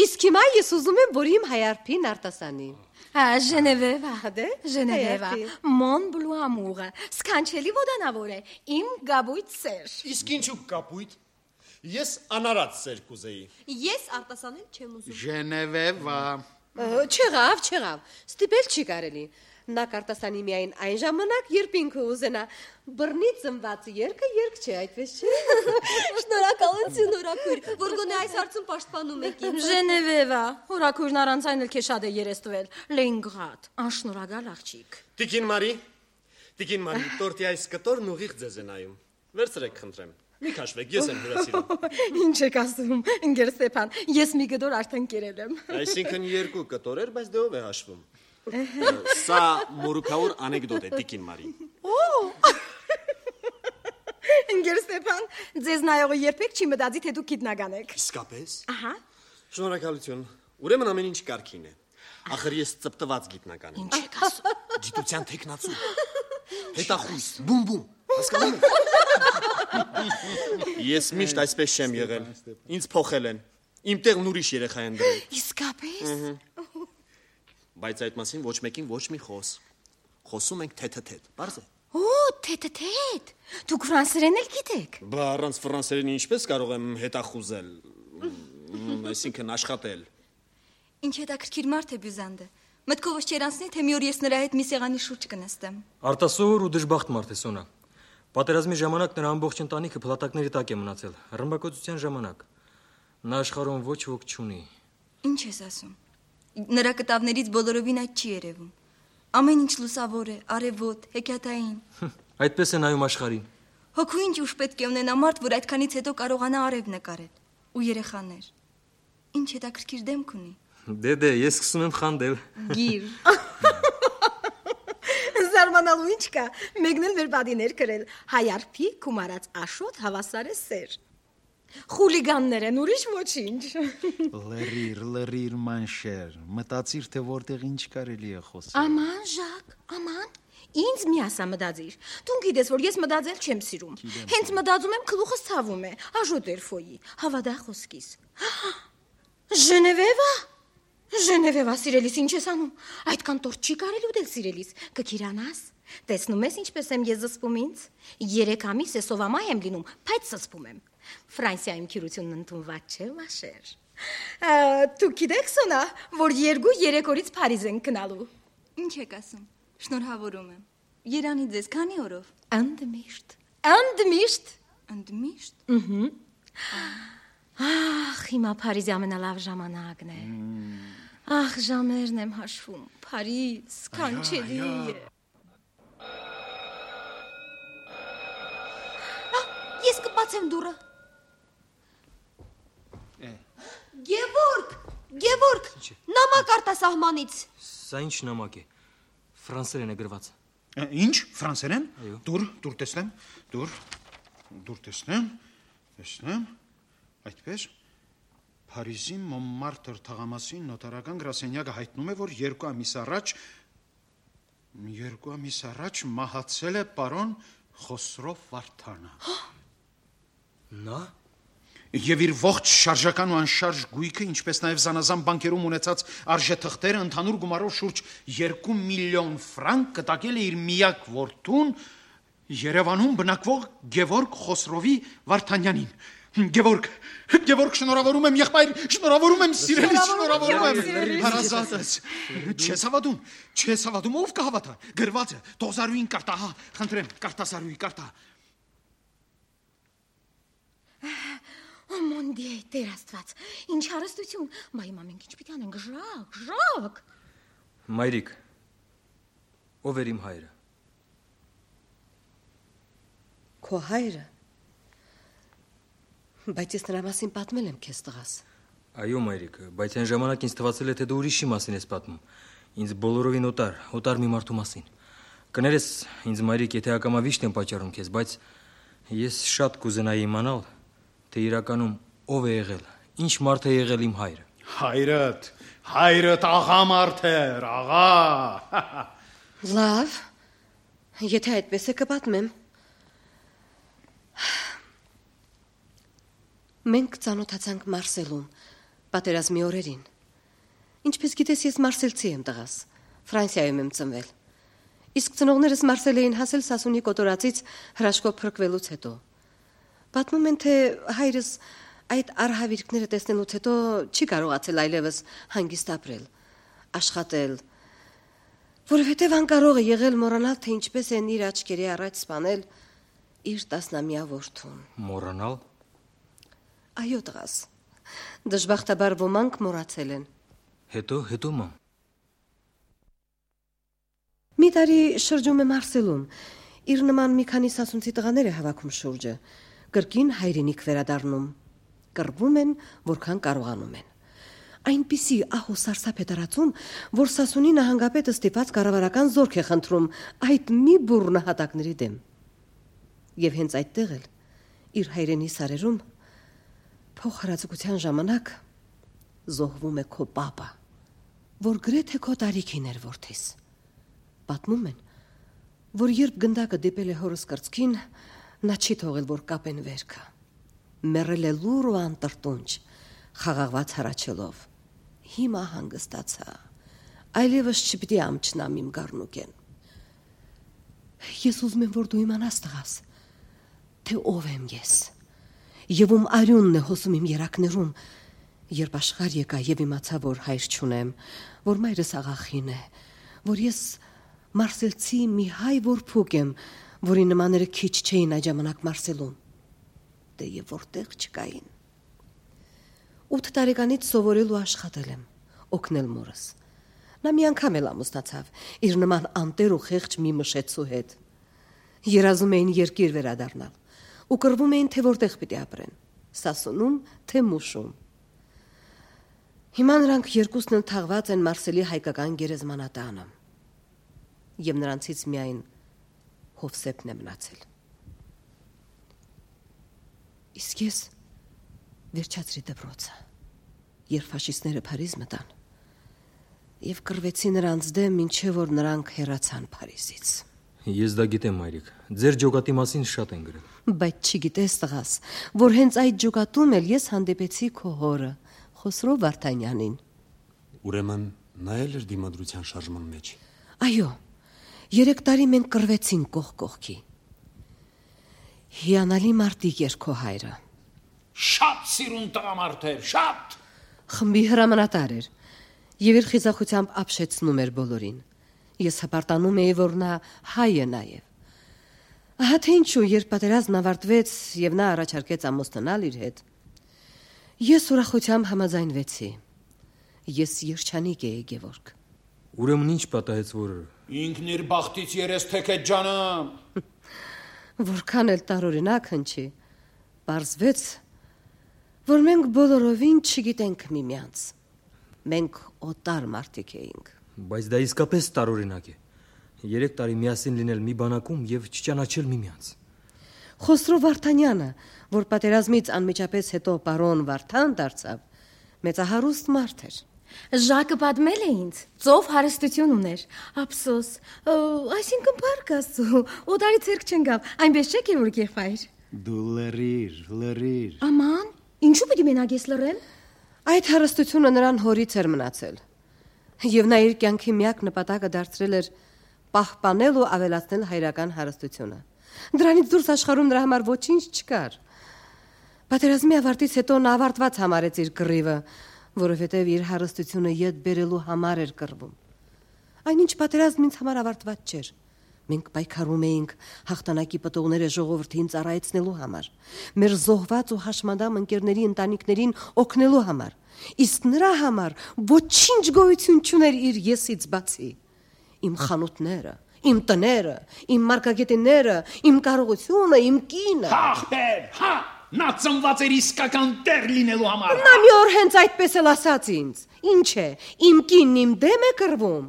Իսկ հիմա ես ուզում եմ, որ իմ հայարփին արտասանի։ Հա, Ժենևևա, դե, Ժենևևա, Մոն բլու ամուրը, սքանչելի ոդանավոր է, իմ գաբույթ սեր։ Իսկ ինչու կապույտ։ Ես անարած սեր կուզեի։ Ես արտասանել չեմ ուզում։ Ժենևևա։ Չեղավ, չեղավ, ստիպել չի կարելի։ Նա կարտասանի միայն այն ժամանակ, երբ ինքը ուզենա։ Բռնի ծնված երկը երկ չէ, այդպես չէ։ Շնորհակալություն, օրաքույր, որ գոնե այս հարցում պաշտպանում եք ինձ։ Ժենևևա, օրաքույրն առանց այն էլ քեզ շատ է երեստվել։ Լենգրադ, անշնորհակալ աղջիկ։ Տիկին Մարի, Տիկին Մարի, տորտի այս կտորն ուղիղ ձեզ է նայում։ Վերցրեք, խնդրեմ։ Մի քաշվեք, ես եմ հյուրասիրում։ Ինչ եք ասում, ընկեր Ստեփան, ես մի գդոր արդեն կերել եմ։ Այսինքն երկու կտորեր, բայց դե ով է հաշվում։ Սա մորուքավոր անեկդոտ է, Տիկին Մարի։ Ընկեր Ստեփան, ձեզ նայողը երբեք չի մտածի, թե դուք գիտնական եք։ Իսկապես։ Ահա։ Շնորհակալություն։ Ուրեմն ամեն ինչ կարգին է։ Ախր ես ծպտված գիտնական եմ։ Ինչ եք ասում։ Գիտության տեխնացու։ Հետախույս, բում-բում, հասկանում եք։ Ես միշտ այսպես չեմ եղել։ Ինձ փոխել են։ Իմ տեղն ուրիշ երեխա են դրել։ Իսկապես։ Բայց այդ մասին ոչ մեկին ոչ մի խոս։ Խոսում ենք թեթեթեթ, բարձ է։ Օ, թեթեթեթ։ Դուք ֆրանսերեն էլ գիտեք։ Բա առանց ֆրանսերենի ինչպես կարող եմ հետախուզել, այսինքն աշխատել։ Ինչ հետաքրքիր մարդ է Բյուզանդը։ Մտքովս չեր անցնի, թե մի օր ես նրա հետ մի սեղանի շուրջ կնստեմ։ Արտասովոր ու դժբախտ մարդ է Սոնա։ Պատերազմի ժամանակ նրա ամբողջ ընտանիքը փլատակների տակ է մնացել, ռմբակոծության ժամանակ։ Նա աշխարհում ոչ ոք չունի։ Ինչ ես ասում։ Նրա կտավներից բոլորովին այդ չի երևում։ Ամեն ինչ լուսավոր է, արևոտ, հեքիաթային։ Այդպես է նայում աշխարհին։ Հոգու ինչ ուժ պետք է ունենա մարդ, որ այդքանից հետո կարողանա արև նկարել։ Ու երեխաներ։ Ինչ հետաքրքիր դեմք ունի։ Դե դե, ես սկսում եմ խանդել։ Գիր։ Զարմանալու ինչ կա, մեկն էլ մեր բադիներ կրել, հայարփի կումարած աշոտ հավասար է սեր։ Խուլիգաններ են, ուրիշ ոչինչ։ Լրիր, լրիր մանշեր, մտածիր, թե որտեղ ինչ կարելի է խոսել։ Աման, Ժակ, աման, ինձ մի ասա մտածիր։ Դու գիտես, որ ես մտածել չեմ սիրում։ Հենց մտածում եմ, գլուխս ցավում է, աժոտ երֆոյի, հավադա խոսքիս։ Ժենևևա։ Ժենևևա, սիրելիս, ինչ ես անում։ Այդքան տորտ չի կարելի ուտել, սիրելիս, կքիրանաս։ Տեսնում ես ինչպես եմ ես զսպում ինձ։ Երեք ամիս է սովամայ եմ լինում, բայց զսպում եմ։ Ֆրանսիայում քիրությունն ընդունված չէ, մաշեր։ Դու գիտեք, Սոնա, որ երկու երեք օրից Փարիզ են գնալու։ Ինչ եք ասում։ Շնորհավորում եմ։ Երանի ձեզ քանի օրով։ Ընդմիշտ։ Ընդմիշտ։ Ընդմիշտ։ Ըհը։ Ախ, հիմա Փարիզի ամենալավ ժամանակն է։ Ախ, ժամերն եմ հաշվում։ Փարիզ, կանչելի է։ Ես կբացեմ դուռը։ Գևորգ, Գևորգ, նամակ արտասահմանից։ Սա ինչ նամակ է։ Ֆրանսերեն է գրված։ Ինչ, ֆրանսերեն։ Դուր, դուր տեսնեմ, դուր, դուր տեսնեմ, տեսնեմ, այդպես։ Փարիզի Մոնմարտր թաղամասի նոտարական գրասենյակը հայտնում է, որ երկու ամիս առաջ երկու ամիս առաջ մահացել է պարոն Խոսրով Վարդանը։ Նա Եվ իր ողջ շարժական ու անշարժ գույքը, ինչպես նաև զանազան բանկերում ունեցած արժեթղթերը ընդհանուր գումարով շուրջ երկու միլիոն ֆրանկ կտակել է իր միակ որդուն Երևանում բնակվող Գևորգ Խոսրովի Վարդանյանին։ Գևորգ, Գևորգ, շնորհավորում եմ, եղբայր, շնորհավորում եմ, սիրելիս, շնորհավորում եմ։ Հարազատս, չես հավատում, չես հավատում, ով կհավատա։ Գրված է, Տոզարուին կարտա, հա, խնդրեմ, կարտասարուի կարտա։ Օ մոնդի, Տեր Աստված, ինչ հարստություն, բա հիմա մենք ինչ պիտի անենք, ժակ, ժակ։ Մայրիկ, ով էր իմ հայրը։ Քո հայրը։ Բայց ես նրա մասին պատմել եմ քեզ տղաս։ Այո, մայրիկ, բայց այն ժամանակ ինձ թվացել է, թե դու ուրիշի մասին ես պատմում։ Ինձ բոլորովին օտար, օտար մի մարդու մասին։ Կներես, ինձ մայրիկ, եթե ակամա վիշտ եմ պատճառում քեզ, բայց ես շատ կուզենայի իմանալ, թե իրականում ով է եղել, ինչ մարդ է եղել իմ հայրը։ Հայրդ, Հայրդ աղա մարդ էր, աղա։ Լավ, եթե այդպես է կպատմեմ։ Մենք ծանոթացանք Մարսելում, պատերազմի օրերին։ Ինչպես գիտես, ես մարսելցի եմ տղաս, Ֆրանսիայում եմ ծնվել։ Իսկ ծնողներս Մարսել էին հասել Սասունի կոտորածից հրաշքով փրկվելուց հետո։ Պատմում են, թե հայրս այդ արհավիրքները տեսնելուց հետո չի կարողացել այլևս հանգիստ ապրել, աշխատել, որովհետև անկարող է եղել մոռանալ, թե ինչպես են իր աչքերի առաջ սպանել իր տասնամյա որդուն։ Մոռանալ։ Այո, տղաս, դժբախտաբար ոմանք մոռացել են։ Հետո, հետո մամ։ Մի տարի շրջում է Մարսելում, իր նման մի քանի սասունցի տղաներ է հավաքում շուրջը, կրկին հայրենիք վերադառնում, կռվում են, որքան կարողանում են։ Այնպիսի ահ ու սարսափ է տարածում, որ Սասունի նահանգապետը ստիպած կառավարական զորք է խնդրում այդ մի բուռ նահատակների դեմ։ Եվ հենց այդտեղ էլ իր հայրենի սարերում փոխհրաձգության ժամանակ զոհվում է քո պապա, որ գրեթե քո տարիքին էր որդիս։ Պատմում են, որ երբ գնդակը դիպել է հորս կրծքին, նա չի թողել, որ կապեն վերքը։ Մեռել է լուր ու անտրտունջ, խաղաղված հառաչելով։ Հիմա հանգստացա, այլևս չպիտի ամչնամ իմ գառնուկեն։ Ես ուզում եմ, որ դու իմանաս, տղաս, թե ով եմ ես, եւ ում արյունն է հոսում իմ երակներում, երբ աշխարհ եկա եւ իմացա, որ հայր չունեմ, որ մայրս աղախին է, որ ես մարսելցի մի հայ որփուկ եմ, որի նմաները քիչ չէին այդ ժամանակ Մարսելում, դե եւ որտեղ չկային։ Ութ տարեկանից սովորել ու աշխատել եմ, օգնել մորս։ Նա մի անգամ էլ ամուսնացավ իր նման անտեր ու խեղճ մի մշեցու հետ։ Երազում էին երկիր վերադառնալ ու կռվում էին, թե որտեղ պիտի ապրեն, Սասունում, թե Մուշում։ Հիմա նրանք երկուսն էլ թաղված են Մարսելի հայկական գերեզմանատանը։ Եվ նրանցից միայն Հովսեփն է մնացել։ Իսկ ես վերջացրի դպրոցը, երբ ֆաշիստները Փարիզ մտան եւ կռվեցի նրանց դեմ, ինչեւ որ նրանք հեռացան Փարիզից։ Ես դա գիտեմ, մայրիկ, ձեր ջոկատի մասին շատ են գրել։ Բայց չգիտես, տղաս, որ հենց այդ ջոկատում էլ ես հանդիպեցի քո հորը, Խոսրո Վարդանյանին։ Ուրեմն նա էլ էր դիմադրության շարժման մեջ։ Այո, երեք տարի մենք կռվեցինք կողք կողքի։ Հիանալի մարտիկ էր քո հայրը։ Շատ սիրուն տղամարդ էր, շատ։ Խմբի հրամանատար էր եւ իր խիզախությամբ ապշեցնում էր բոլորին։ Ես հպարտանում էի, որ նա հայ է նաեւ։ Ահա թե ինչու, երբ պատերազմն ավարտվեց եւ նա առաջարկեց ամուսնանալ իր հետ, ես ուրախությամբ համաձայնվեցի։ Ես երջանիկ էի, Գևորգ։ Ուրեմն ինչ պատահեց, որ ինքն իր բախտից երես թեքեց ջանամ։ Որքան էլ տարօրինակ հնչի, պարզվեց, որ մենք բոլորովին չգիտենք միմյանց։ Մենք օտար մարդիկ էինք։ Բայց դա իսկապես տարօրինակ է։ Երեք տարի միասին լինել մի բանակում եւ չճանաչել միմյանց։ Խոսրո Վարդանյանը, որ պատերազմից անմիջապես հետո պարոն Վարդան դարձավ, մեծահարուստ մարդ էր։ Ժակը պատմել է ինձ, ծով հարստություն ուներ, ափսոս, այսինքն փառք Աստծո, օտարի ցերկ չընկավ, այնպես չէ՞ Գևորգ եղբայր։ Դու լրիր, լրիր։ Աման, ինչու պիտի մենակ ես լռեմ։ Այդ հարստությունը նրան հորից էր մնացել, եւ նա իր կյանքի միակ նպատակը դարձրել էր պահպանել ու ավելացնել հայրական հարստությունը։ Դրանից դուրս աշխարհում նրա համար ոչինչ չկար։ Պատերազմի ավարտից հետո նա ավարտված համարեց իր կռիվը, որովհետև իր հարստությունը յետ բերելու համար էր կռվում։ Այնինչ պատերազմն ինձ համար ավարտված չէր։ Մենք պայքարում էինք հաղթանակի պտուղները ժողովրդին ծառայեցնելու համար, մեր զոհված ու հաշմանդամ ընկերների ընտանիքներին օգնելու համար, իսկ նրա համար ոչինչ գոյություն չուներ իր եսից բացի։ Իմ խանութները, իմ տները, իմ մարգագետինները, իմ կարողությունը, իմ կինը։ Ախպեր, հա, նա ծնված էր իսկական տեր լինելու համար։ Նա մի օր հենց այդպես էլ ասաց ինձ։ Ինչ է, իմ կինն իմ դեմ է կռվում։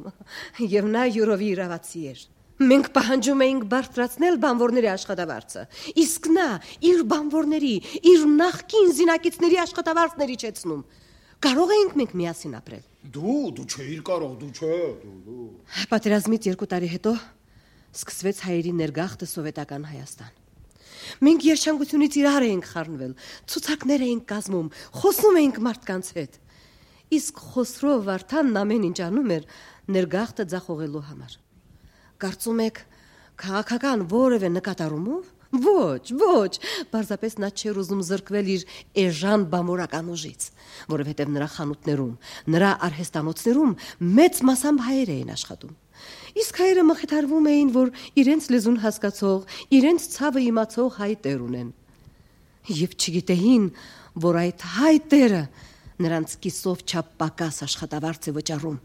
Եվ նա յուրովի իրավացի էր։ Մենք պահանջում էինք բարձրացնել բանվորների աշխատավարձը, իսկ նա իր բանվորների, իր նախկին զինակիցների աշխատավարձն էր իջեցնում։ Կարող էինք մենք միասին ապրել։ Դու, դու չէիր կարող, դու չէ, դու, դու։ Պատերազմից երկու տարի հետո սկսվեց հայերի ներգաղթը սովետական Հայաստան։ Մենք երջանկությունից իրար էինք խառնվել, ցուցակներ էինք կազմում, խոսում էինք մարդկանց հետ։ Իսկ Խոսրո Վարդանն ամեն ինչ անում էր ներգաղթը ձախողելու համար։ Կարծում եք, քաղաքական որևէ նկատառումով։ Ոչ, ոչ, պարզապես նա չէր ուզում զրկվել իր էժան բամորական ուժից, որովհետև նրա խանութներում, նրա արհեստանոցներում մեծ մասամբ հայեր էին աշխատում։ Իսկ հայերը մխիթարվում էին, որ իրենց լեզուն հասկացող, իրենց ցավը իմացող հայ տեր ունեն։ Եվ չգիտեին, որ այդ հայ տերը նրանց կիսով չափ պակաս աշխատավարձ է վճարում,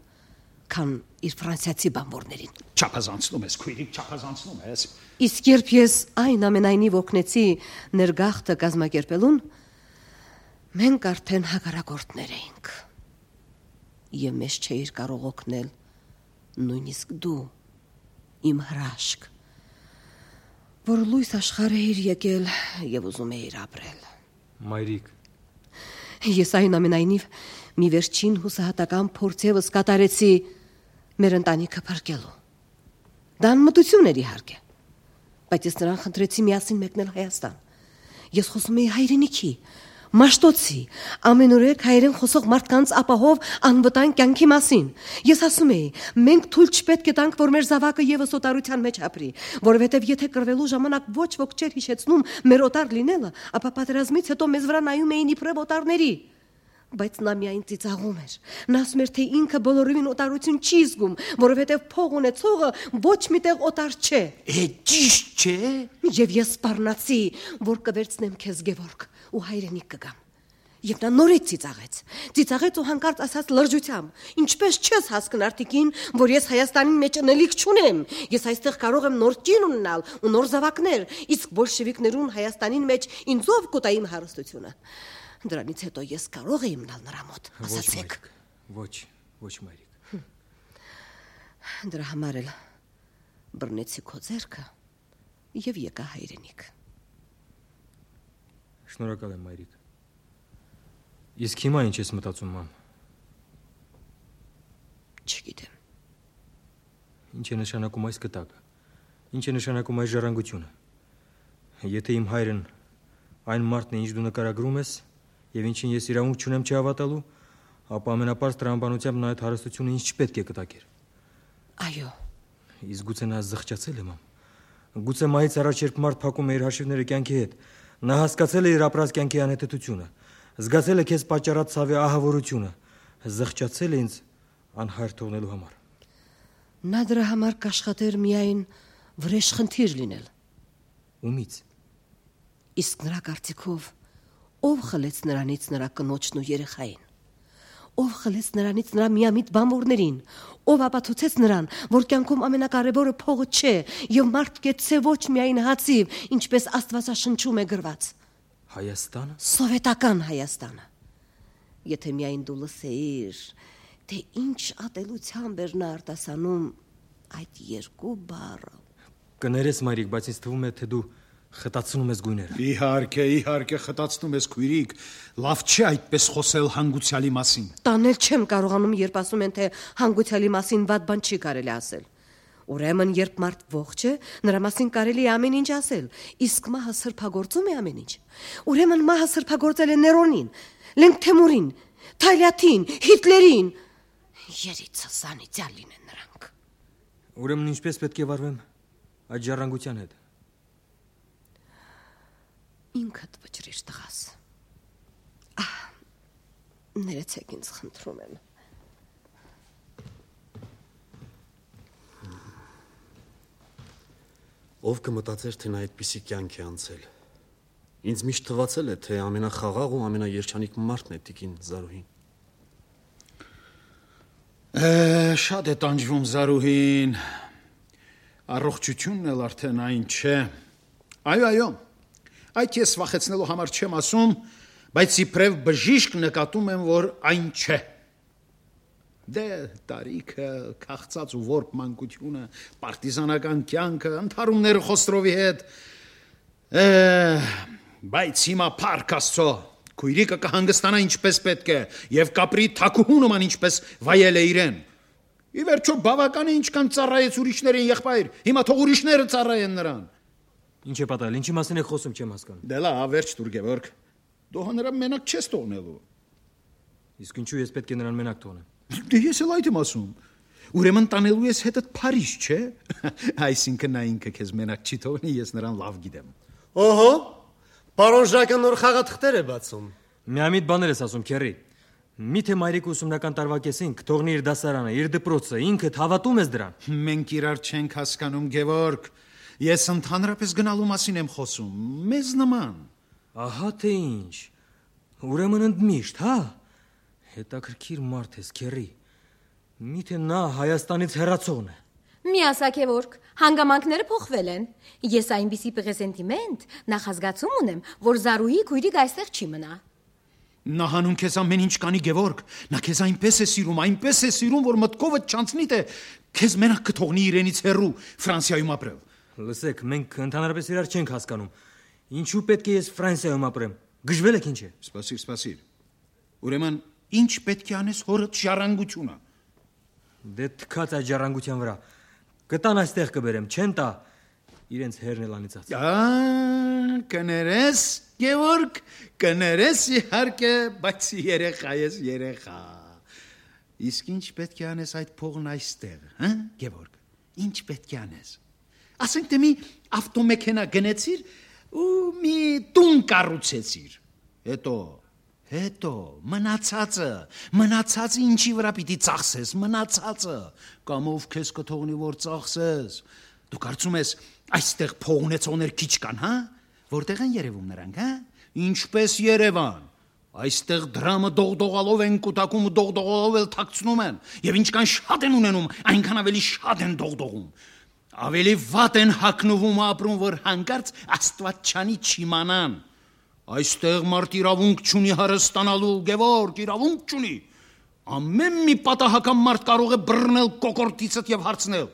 քան իր ֆրանսիացի բանվորներին։ Չափազանցնում ես, քույրիկ, չափազանցնում ես։ Իսկ երբ ես այն ամենայնիվ օգնեցի ներգաղթը կազմակերպելուն, մենք արդեն հակառակորդներ էինք։ Եվ մեզ չէիր կարող օգնել նույնիսկ դու, իմ հրաշք, որ լույս աշխարհ էիր եկել եւ ուզում էիր ապրել։ Մայրիկ, ես այն ամենայնիվ մի վերջին հուսահատական փորձ եւս կատարեցի մեր ընտանիքը փրկելու։ Դա անմտություն էր իհարկե, բայց ես նրան խնդրեցի միասին մեկնել Հայաստան։ Ես խոսում էի հայրենիքի, Մաշտոցի, ամենուրեք հայերեն խոսող մարդկանց ապահով անվտանգ կյանքի մասին։ Ես ասում էի, մենք թույլ չպետք է տանք, որ մեր զավակը եւս օտարության մեջ ապրի, որովհետեւ եթե կռվելու ժամանակ ոչ ոք չէր հիշեցնում մեր օտար լինելը, ապա պատերազմից հետո մեզ վրա նայում էին իբրև օտարների։ Բայց նա միայն ծիծաղում էր։ Նա ասում էր, թե ինքը բոլորովին օտարություն չի զգում, որովհետև փող ունեցողը ոչ միտեղ օտար չէ։ Է ճիշտ չէ։ Եվ ես սպառնացի, որ կվերցնեմ քեզ Գևորգ ու հայրենիք կգամ։ Եվ նա նորից ծիծաղեց։ Ծիծաղեց ու հանկարծ ասաց լրջությամբ. Ինչպես չես հասկն արտիկին, որ ես Հայաստանի մեջ ընելիք չունեմ։ Ես այստեղ կարող եմ նոր կին ունենալ ու նոր զավակներ, իսկ բոլշևիկներուն Հայաստանին մեջ ինձով կուտա իմ հարստությունը։ Դրանից հետո ես կարող եմ մնալ նրա մոտ, ասացեք։ Ոչ, ոչ մայրիկ։ Դրա համար էլ բռնեցի քո ձեռքը եւ եկա հայրենիք։ Շնորհակալ եմ մայրիկ։ Իսկ հիմա ինչ ես մտածում, մամ։ Չգիտեմ։ Ինչ է նշանակում այս կտակը։ Ինչ է նշանակում այս ժառանգությունը։ Եթե իմ հայրն այն մարդն է, ինչ դու նկարագրում ես, եւ ինչին ես իրավունք չունեմ չհավատալու, ապա ամենապարզ տրամաբանությամբ նա այդ հարստությունը ինձ չպետք է կտակեր։ Այո։ Իսկ գուցե նա զղջացել է, մամ։ Գուցե մայից առաջ երբ մարդ փակում է իր հաշիվները կյանքի հետ, նա հասկացել է իր ապրած կյանքի անհետեթությունը, զգացել է քեզ պատճառած ցավի ահավորությունը, զղջացել է ինձ անհայր թողնելու համար։ Նա դրա համար կաշխատեր միայն վրեժխնդիր լինել։ Ումից։ Իսկ նրա կարծիքով ով խլեց նրանից նրա կնոջն ու երեխային։ Ով խլեց նրանից նրա միամիտ բանվորներին, ով ապացուցեց նրան, որ կյանքում ամենակարևորը փողը չէ եւ մարդ կեցե ոչ միայն հացիվ, ինչպես Աստվածաշնչում է գրված։ Հայաստանը։ Սովետական Հայաստանը։ Եթե միայն դու լսեիր, թե ինչ ատելությամբ էր նա արտասանում այդ երկու բառը։ Կներես մայրիկ, բայց ինձ թվում է, թե դու խտացնում ես գույները։ Իհարկե, իհարկե խտացնում ես քույրիկ, լավ չի այդպես խոսել հանգուցյալի մասին։ Տանել չեմ կարողանում, երբ ասում են, թե հանգուցյալի մասին վատ բան չի կարելի ասել։ Ուրեմն, երբ մարդ ողջ է, նրա մասին կարելի է ամեն ինչ ասել, իսկ մահը սրբագործում է ամեն ինչ։ Ուրեմն մահը սրբագործել է Ներոնին, Լենգթեմուրին, Թալյաթին, Հիտլերին։ Երիցը սանիծյալ լինեն նրանք։ Ուրեմն ինչպես պետք է վարվեմ այդ ժառանգության հետ։ Ինքդ վճրիր տղաս։ Ահ, ներեցեք ինձ խնդրում եմ։ Ով կմտածեր, թե նա այդպիսի կյանք է անցել։ Ինձ միշտ թվացել է, թե ամենախաղաղ ու ամենաերջանիկ մարդն է տիկին Զարուհին։ Է, շատ է տանջվում Զարուհին։ Առողջությունն էլ արդեն այն չէ։ Այո, այո։ Այդ ես վախեցնելու համար չեմ ասում, բայց իբրև բժիշկ նկատում եմ, որ այն չէ։ Դե տարիքը, քաղցած ու որբ մանկությունը, պարտիզանական կյանքը, ընդհարումները Խոսրովի հետ։ Է, բայց հիմա փառք Աստծո, Քույրիկը կհանգստանա ինչպես պետք է եւ կապրի թակուհու նման ինչպես վայել է իրեն։ Ի վերջո բավական է ինչքան ծառայեց ուրիշներին եղբայր, հիմա թող ուրիշները ծառայեն նրան։ Ինչ է պատահել, ինչի մասին եք խոսում, չեմ հասկանում։ Դե լավ, վերջ տուր Գևորգ։ Դու նրան մենակ չես թողնելու։ Իսկ ինչու ես պետք է նրան մենակ թողնեմ։ Դե ես էլ այդ եմ ասում։ Ուրեմն տանելու ես հետդ Փարիզ, չէ՞։ Այսինքն նա ինքը քեզ մենակ չի թողնի, ես նրան լավ գիտեմ։ Օհո, պարոն Ժակը նոր խաղաթղթեր է բացում։ Միամիտ բաներ ես ասում, քերի։ Միթե մայրիկը ուսումնական տարվա կեսին կթողնի իր դասարանը, իր դպրոցը, ինքդ հավատում ես դրան։ Մենք իրար չենք հասկանում, Գևորգ։ Ես ընդհանրապես գնալու մասին եմ խոսում, մեզ նման։ Ահա թե ինչ։ Ուրեմն ընդմիշտ, հա։ Հետաքրքիր մարդ ես, քերի։ Միթե նա Հայաստանից հեռացողն է։ Մի ասա Գևորգ, հանգամանքները փոխվել են։ Ես այնպիսի պրեսենտիմենտ նախազգացում ունեմ, որ Զարուհի քույրիկ այստեղ չի մնա։ Նա հանուն քեզ ամեն ինչ կանի Գևորգ, նա քեզ այնպես է սիրում, այնպես է սիրում, որ մտքովդ չանցնի թե քեզ մենակ կթողնի իրենից հեռու Ֆրանսիայում ապրել։ Լսեք, մենք ընդհանրապես իրար չենք հասկանում։ Ինչու պետք է ես Ֆրանսիայում ապրեմ։ Գժվել եք ինչ է։ Սպասիր, սպասիր։ Ուրեմն ինչ պետք է անես հորդ ժառանգությունը։ Դե թքած այդ ժառանգության վրա։ Կտան այստեղ կբերեմ, չեն տա իրենց հերն էլ անիծած։ Ա, կներես, Գևորգ, կներես իհարկե, բայց երեխա ես երեխա։ Իսկ ինչ պետք է անես այդ փողն այստեղ, հա, Գևորգ։ Ինչ պետք է անես։ Ասենք թե մի ավտոմեքենա գնեցիր ու մի տուն կառուցեցիր։ Հետո Հետո մնացածը, մնացածը ինչի վրա պիտի ծախսես, մնացածը, կամ ով քեզ կթողնի որ ծախսես։ Դու կարծում ես այստեղ փող ունեցողներ քիչ կան, հա? Որտեղ են երևում նրանք, հա? Ինչպես Երևան։ Այստեղ դրամը դողդողալով են կուտակում, դողդողալով էլ թաքցնում են, եւ ինչքան շատ են ունենում, այնքան ավելի շատ են դողդողում։ Ավելի վատ են հագնվում ապրում, որ հանկարծ Աստվածչանի չիմանան։ Այստեղ մարդ իրավունք չունի հարստանալու, Գևորգ, իրավունք չունի։ Ամեն մի պատահական մարդ կարող է բռնել կոկորդիցդ եւ հարցնել.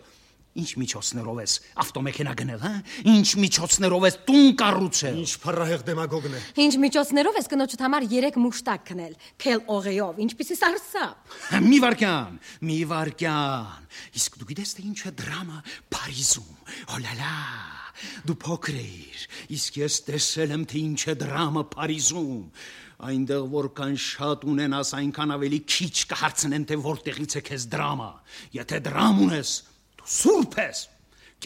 Ինչ միջոցներով ես ավտոմեքենա գնել, հա? Ինչ միջոցներով ես տուն կառուցել։ Ինչ փառահեղ դեմագոգն է։ Ինչ միջոցներով ես կնոջդ համար երեք մուշտակ քնել, քել օղեով, ինչպիսի սարսափ։ Մի վարքյան, մի վարքյան։ Իսկ դու գիտես թե ինչ է դրամը Փարիզում։ Օլալա։ Դու փոքր ես, իսկ ես տեսել եմ թե ինչ է դրամը Փարիզում։ Այնտեղ որքան շատ ունենաս, այնքան ավելի քիչ կհարցնեն թե որտեղից է քեզ դրամը։ Եթե դրամ ունես, դու սուրբ ես։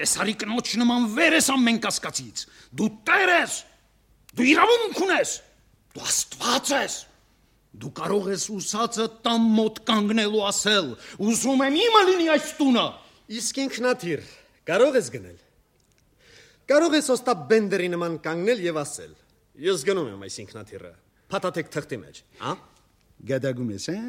Կեսարի կնոջ նման վեր ես ամեն կասկածից։ Դու տեր ես։ Դու իրավունք ունես։ Դու Աստված ես։ Դու կարող ես ուսածը տամ մոտ կանգնելու ասել. ուզում եմ իմը լինի այս տունը։ Իսկ ինքնաթիռ կարող ես գնել։ Կարող ես Օստապ Բենդերի նման կանգնել եւ ասել. ես գնում եմ այս ինքնաթիռը, փաթաթեք թղթի մեջ, հա? Գադագում ես, հա?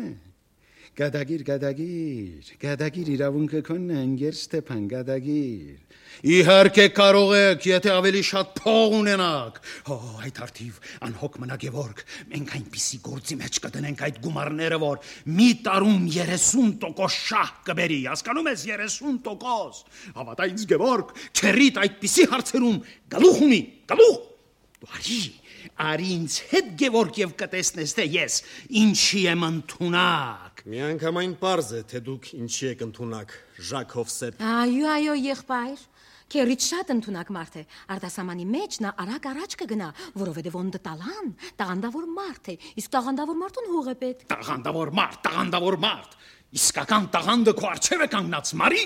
Գադագիր, գադագիր, գադագիր իրավունքը քոնն է, ընկեր Ստեփան, գադագիր։ Իհարկե կարող եք, եթե ավելի շատ փող ունենաք։ Հո, այդ արդիվ անհոգ մնա Գևորգ, մենք այնպիսի գործի մեջ կդնենք այդ գումարները, որ մի տարում երեսուն տոկոս շահ կբերի, հասկանում ես, երեսուն տոկոս։ Հավատա ինձ Գևորգ, քերիդ այդպիսի հարցերում գլուխ ունի, գլուխ։ Դու արի, արի ինձ հետ Գևորգ եւ կտեսնես թե ես ինչի եմ ընդունակ։ Միանգամայն պարզ է, թե դուք ինչի եք ընդունակ, Ժակ Հովսեփ։ Այո, այո, եղբայր։ Քերիդ շատ ընդունակ մարդ է։ Արտասահմանի մեջ նա արագ առաջ կգնա, որովհետև ոնդը տալան, տաղանդավոր մարդ է, իսկ տաղանդավոր մարդուն հող է պետք։ Տաղանդավոր մարդ, տաղանդավոր մարդ։ Իսկական տաղանդը քո առջև է կանգնած, Մարի։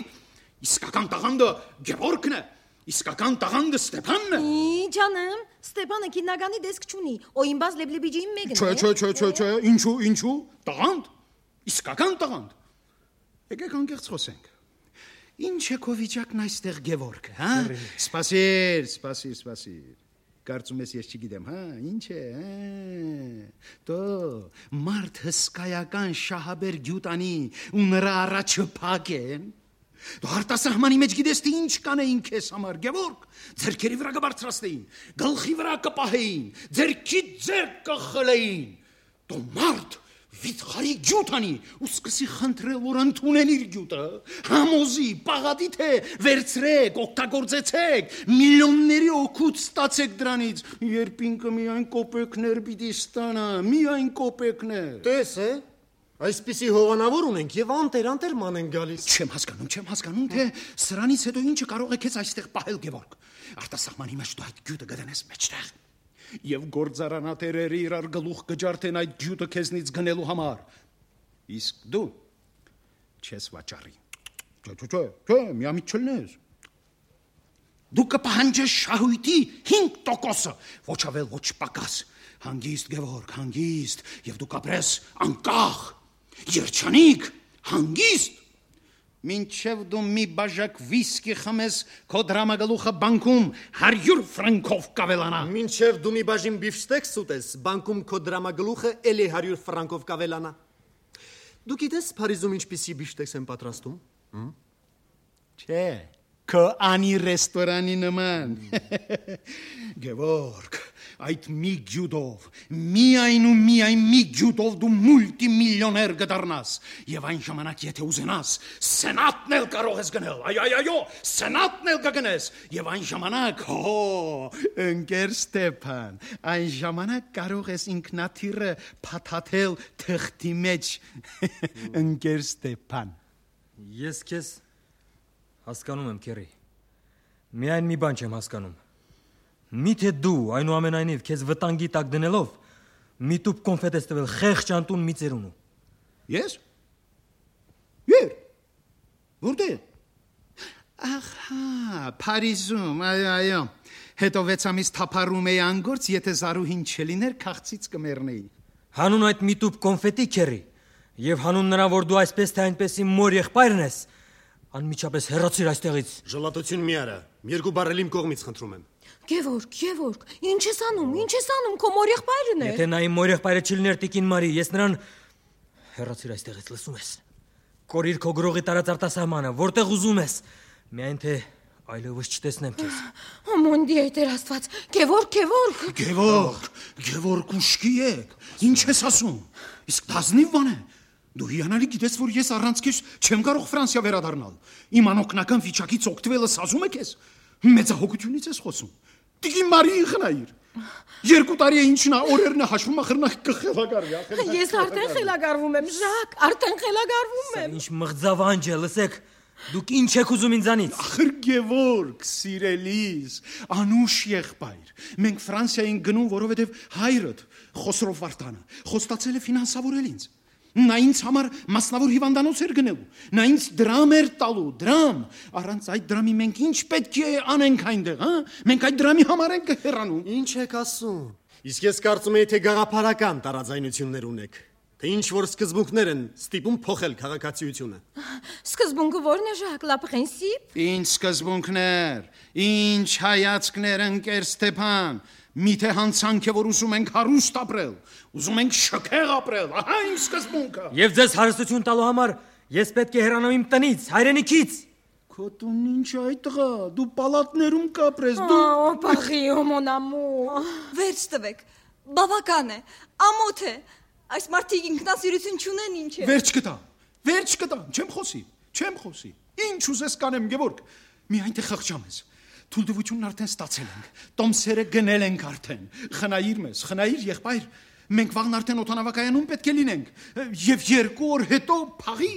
Իսկական տաղանդը Գևորգն է։ Իսկական տաղանդը Ստեփանն է։ Ի ջանեմ, Ստեփանը քիննագանի դեսք չունի, օյինբազ լեբլեբիջին մեկն է։ Չէ, չէ, չէ, չէ, չէ, ինչու, ինչու։ Տաղանդ։ Իսկական տաղանդ։ Եկեք անկեղծ խոսենք։ Ինչ է քո վիճակն այստեղ Գևորգը, հա? Սպասիր, սպասիր, սպասիր։ Կարծում ես ես չգիտեմ, հա, ինչ է, հա։ Դո մարդ հսկայական շահաբեր գյուտանի ու նրա առաջը փակ են։ Դու արտասահմանի մեջ գիտես թե ինչ կանեին քեզ համար, Գևորգ, ձերքերի վրա կբարձրացնեին, գլխի վրա կպահեին, ձերքից ձեր կխլեին։ Դու մարդ, վիթխարի գյուտանի ու սկսի խնդրել, որ ընդունեն իր գյուտը, համոզի, պաղատի թե վերցրեք, օգտագործեցեք, միլիոնների օգուտ ստացեք դրանից, երբ ինքը միայն կոպեկներ պիտի ստանա, միայն կոպեկներ։ Տես է, այսպիսի հովանավոր ունենք եւ անտեր-անտեր ման են գալիս։ Չեմ հասկանում, չեմ հասկանում, թե սրանից հետո ինչը կարող է քեզ այստեղ պահել, Գևորգ։ Արտասահմանի մեջ դու այդ գյուտը կդնես մեջտեղ։ Եվ գործարանատերերը իրար գլուխ կջարդեն այդ գյուտը քեզնից գնելու համար։ Իսկ դու չես վաճառի։ Չէ, չէ, չէ, չէ, միամիտ չլնես։ Դու կպահանջես շահույթի հինգ տոկոսը, ոչ ավել, ոչ պակաս։ Հանգիստ, Գևորգ, հանգիստ, եւ դու կապրես անկախ, երջանիկ, հանգիստ։ Մինչև դու մի բաժակ վիսկի խմես, քո դրամագլուխը բանկում հարյուր ֆրանկով կավելանա։ Մինչև դու մի բաժին բիֆշտեքս ուտես, բանկում քո դրամագլուխը էլի հարյուր ֆրանկով կավելանա։ Դու գիտես Փարիզում ինչպիսի բիֆշտեքս են պատրաստում։ Չէ, քո անի ռեստորանի նման։ Գևորգ, այդ մի գյուտով, միայն ու միայն մի գյուտով դու մուլտիմիլիոներ կդառնաս, եւ այն ժամանակ եթե ուզենաս, սենատն էլ կարող ես գնել, այ այ այո, սենատն էլ կգնես, եւ այն ժամանակ, հո, ընկեր Ստեփան, այն ժամանակ կարող ես ինքնաթիռը փաթաթել թղթի մեջ, ընկեր Ստեփան։ Ես քեզ հասկանում եմ, Քերի։ Միայն մի բան չեմ հասկանում։ Միթե դու այնուամենայնիվ քեզ վտանգի տակ դնելով մի տուփ կոնֆետ ես տվել խեղճ անտուն մի ծերունու։ Ես։ Եր։ Որտե՞ղ։ Ահա, Փարիզում, այո, այո։ Հետո վեց ամիս թափառում էի անգործ, եթե Զարուհին չլիներ, քաղցից կմեռնեի։ Հանուն այդ մի տուփ կոնֆետի, Քերի, եւ հանուն նրա, որ դու այսպես թե այնպես իմ մոր եղբայրն ես, անմիջապես հեռացիր այստեղից։ Ժլատություն մի արա, երկու բառել իմ կողմից խնդրում եմ։ Գևորգ, Գևորգ, ինչ ես անում, ինչ ես անում, քո մոր եղբայրն է։ Եթե նա իմ մոր եղբայրը չլիներ Տիկին Մարի, ես նրան հեռացիր այստեղից, լսում ես։ Կորիր քո գրողի տարած արտասահմանը, որտեղ ուզում ես, միայն թե այլևս չտեսնեմ քեզ։ Ոմոնդի է Տեր Աստված, Գևորգ, Գևորգ։ Գևորգ, Գևորգ ուշքի եք, ինչ ես ասում։ Իսկ դազնիվ բան է։ Դու հիանալի գիտես, որ ես առանց քեզ չեմ կարող Ֆրանսիա վերադառնալ։ Իմ անօգնական վիճակից օգտվելը սազում է քեզ։ Մեծահոգությունից ես խոսում։ Տիկին Մարիին խնայիր։ Երկու տարի է ինչն է, օրերն է հաշվում, ախրնախ կխելագարվի, ախր։ Ես արդեն խելագարվում եմ, Ժակ, արդեն խելագարվում եմ։ Ինչ մղձավանջ է, լսեք։ Դուք ինչ եք ուզում ինձանից։ Ախր Գևորգ, սիրելիս, անուշ եղբայր։ Մենք Ֆրանսիա ենք գնում, որովհետև հայրդ Խոսրով Վարդանը խոստացել է ֆինանսավորել ինձ։ Նա ինձ համար մասնավոր հիվանդանոց էր գնելու, նա ինձ դրամ էր տալու, դրամ, առանց այդ դրամի մենք ինչ պետք է անենք այնտեղ, հա? Մենք այդ դրամի համար ենք հեռանում։ Ինչ եք ասում։ Իսկ ես կարծում եի, թե գաղափարական տարաձայնություններ ունեք, թե ինչ որ սկզբունքներ են ստիպում փոխել քաղաքացիությունը։ Սկզբունքը ո՞րն է, Ժակ, լա պրինսիպ։ Ինչ սկզբունքներ, ինչ հայացքներ, ընկեր Ստեփան։ Միթե հանցանք է, որ ուզում ենք հարուստ ապրել, ուզում ենք շքեղ ապրել, ահա իմ սկզբունքը։ Եվ ձեզ հարստություն տալու համար ես պետք է հեռանամ իմ տնից, հայրենիքից։ Քո տունն ինչ այդ տղա, դու պալատներում կապրես, դու։ Ահա, Փարիո, mon amour։ Վերջ տվեք, բավական է, ամոթ է։ Այս մարդիկ ինքնասիրություն չունեն, ինչ է։ Վերջ կտա, վերջ կտա, չեմ խոսի, չեմ խոսի։ Ինչ ուզես կանեմ, Գևորգ, միայն թե խղճամ ես։ Թույլտվությունն արդեն ստացել ենք, տոմսերը գնել ենք արդեն, խնայիր մեզ, խնայիր եղբայր, մենք վաղն արդեն օդանավակայանում պետք է լինենք, և երկու օր հետո փաղի։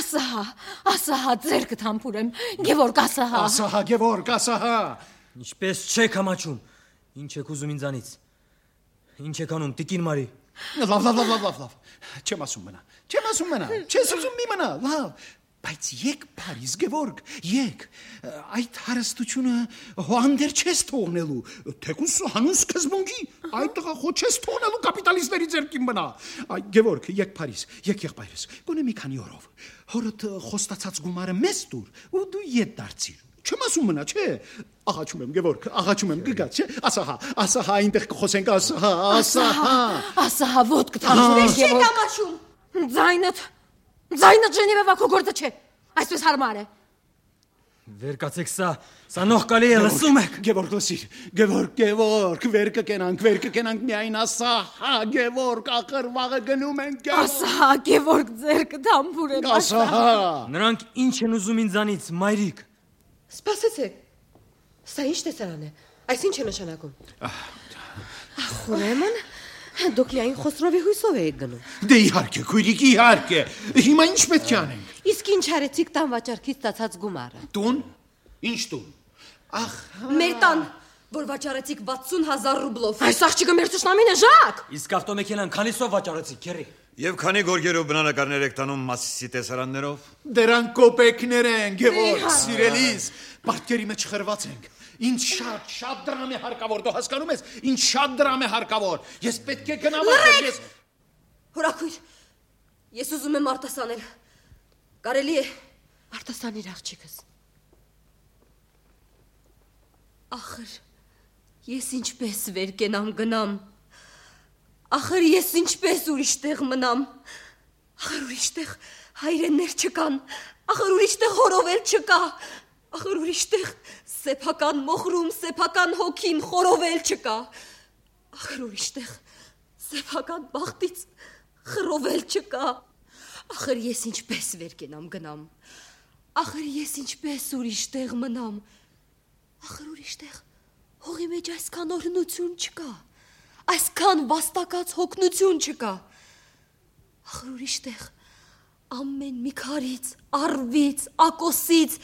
Ասահա, ասահա, ձերքդ համբուրեմ, Գևորգ, ասահա։ Ասահա, Գևորգ, ասահա։ Ինչպես չեք համաչում, ինչ եք ուզում ինձանից, ինչ եք անում, Տիկին Մարի։ Լավ, լավ, լավ, լավ, լավ, չեմ ասում մնա, չեմ ասում մնա, չես ուզում մի մնա, լավ, բայց եկ Փարիզ, Գևորգ, եկ, այդ հարստությունը հոանդեր չես թողնելու, թեկուս հանուն սկզբունքի, այդ տղա խո չես թողնելու կապիտալիստների ձեռքին մնա։ Այ Գևորգ, եկ Փարիզ, եկ եղբայրս, գոնե մի քանի օրով, հորդ խոստացած գումարը մեզ տուր, ու դու ետ դարձիր։ Չեմ ասում մնա, չէ։ Աղաչում եմ, Գևորգ, աղաչում եմ, կգա, չէ։ Ասահա, ասահա, այնտեղ կխոսենք, ասահա, ասահա։ Ասահա, ոտ կթանջուրես, Չեք ամաչում։ Ձայնդ, ձայնդ Ժենևա քո գործը չէ, այսպես հարմար է։ Վեր կացեք սա, սա նողկալի է, լսում եք։ Գևորգ լսիր, Գևորգ, Գևորգ, վեր կկենանք, վեր կկենանք միայն ասա, հա, Գևորգ, ախր վաղը գնում ենք, Գևորգ։ Ասա, Գևորգ, ձերքը դամբուր եմ, ասա, հա։ Նրանք ինչ են ուզում ինձանից, մայրիկ։ Սպասեցեք, սա ինչ տեսարան է, այս ինչ է նշանակում։ Ախ, ուրեմն, դուք միայն Խոսրովի հույսով եք գնում։ Դե իհարկե, քույրիկ, իհարկե, հիմա ինչ պետք է անենք։ Իսկ ինչ արեցիք տան վաճառքից ստացած գումարը։ Տուն։ Ինչ տուն։ Ախ, մեր տան, որ վաճառեցիք վաթսուն հազար ռուբլով։ Այս աղջիկը մեր ճշտամին է, Ժակ։ Իսկ ավտոմեքենան քանիսով վաճառեցիք, քերի։ Եվ քանի գորգերով բնանկարներ եք տանում Մասիսի տեսարաններով։ Դրանք կոպեկներ են, Գևորգ, սիրելիս, պարտքերի մեջ խրված ենք։ Ինչ շատ, շատ դրամ է հարկավոր, դու հասկանում ես, ինչ շատ դրամ է հարկավոր։ Ես պետք է գնամ այստեղ, ես Հորաքույր, ես ուզում եմ արտասանել։ Կարելի է արտասանիր աղջիկս։ Ախր, ես ինչպես վեր կենամ գնամ։ Ախր ես ինչպես ուրիշ տեղ մնամ։ Ախր ուրիշ տեղ հայրեններ չկան։ Ախր ուրիշ տեղ հորովել չկա։ Ախր ուրիշ տեղ սեփական մոխրում, սեփական հոգին խորովել չկա։ Ախր ուրիշ տեղ սեփական բախտից խռովել չկա։ Ախր ես ինչպես վեր կենամ գնամ։ Ախր ես ինչպես ուրիշ տեղ մնամ։ Ախր ուրիշ տեղ հողի մեջ այսքան օրհնություն չկա։ Այսքան վաստակած հոգնություն չկա։ Ախր ուրիշ տեղ ամեն մի քարից, առվից, ակոսից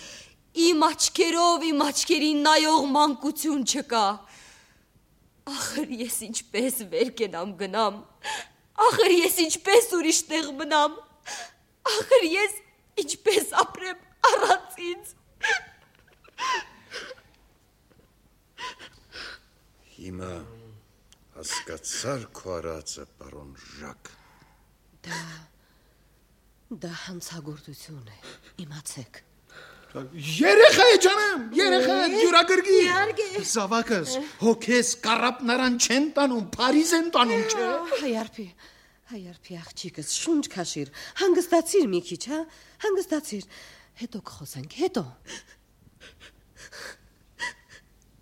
իմ աչքերով իմ աչքերին նայող մանկություն չկա։ Ախր ես ինչպես վեր կենամ գնամ։ Ախր ես ինչպես ուրիշ տեղ մնամ։ Ախր ես ինչպես ապրեմ առանց ինձ։ Հիմա հասկացար քո արածը, պարոն Ժակ։ Դա դա հանցագործություն է, իմացեք։ Երեխա է ջանեմ, երեխա է յուրագրգի։ Զավակս, հոգես կարապնարան չեն տանում, Փարիզ են տանում, չէ։ Հայարփի, հայարփի աղջիկս, շունչ քաշիր, հանգստացիր մի քիչ, հա, հանգստացիր, հետո կխոսենք, հետո։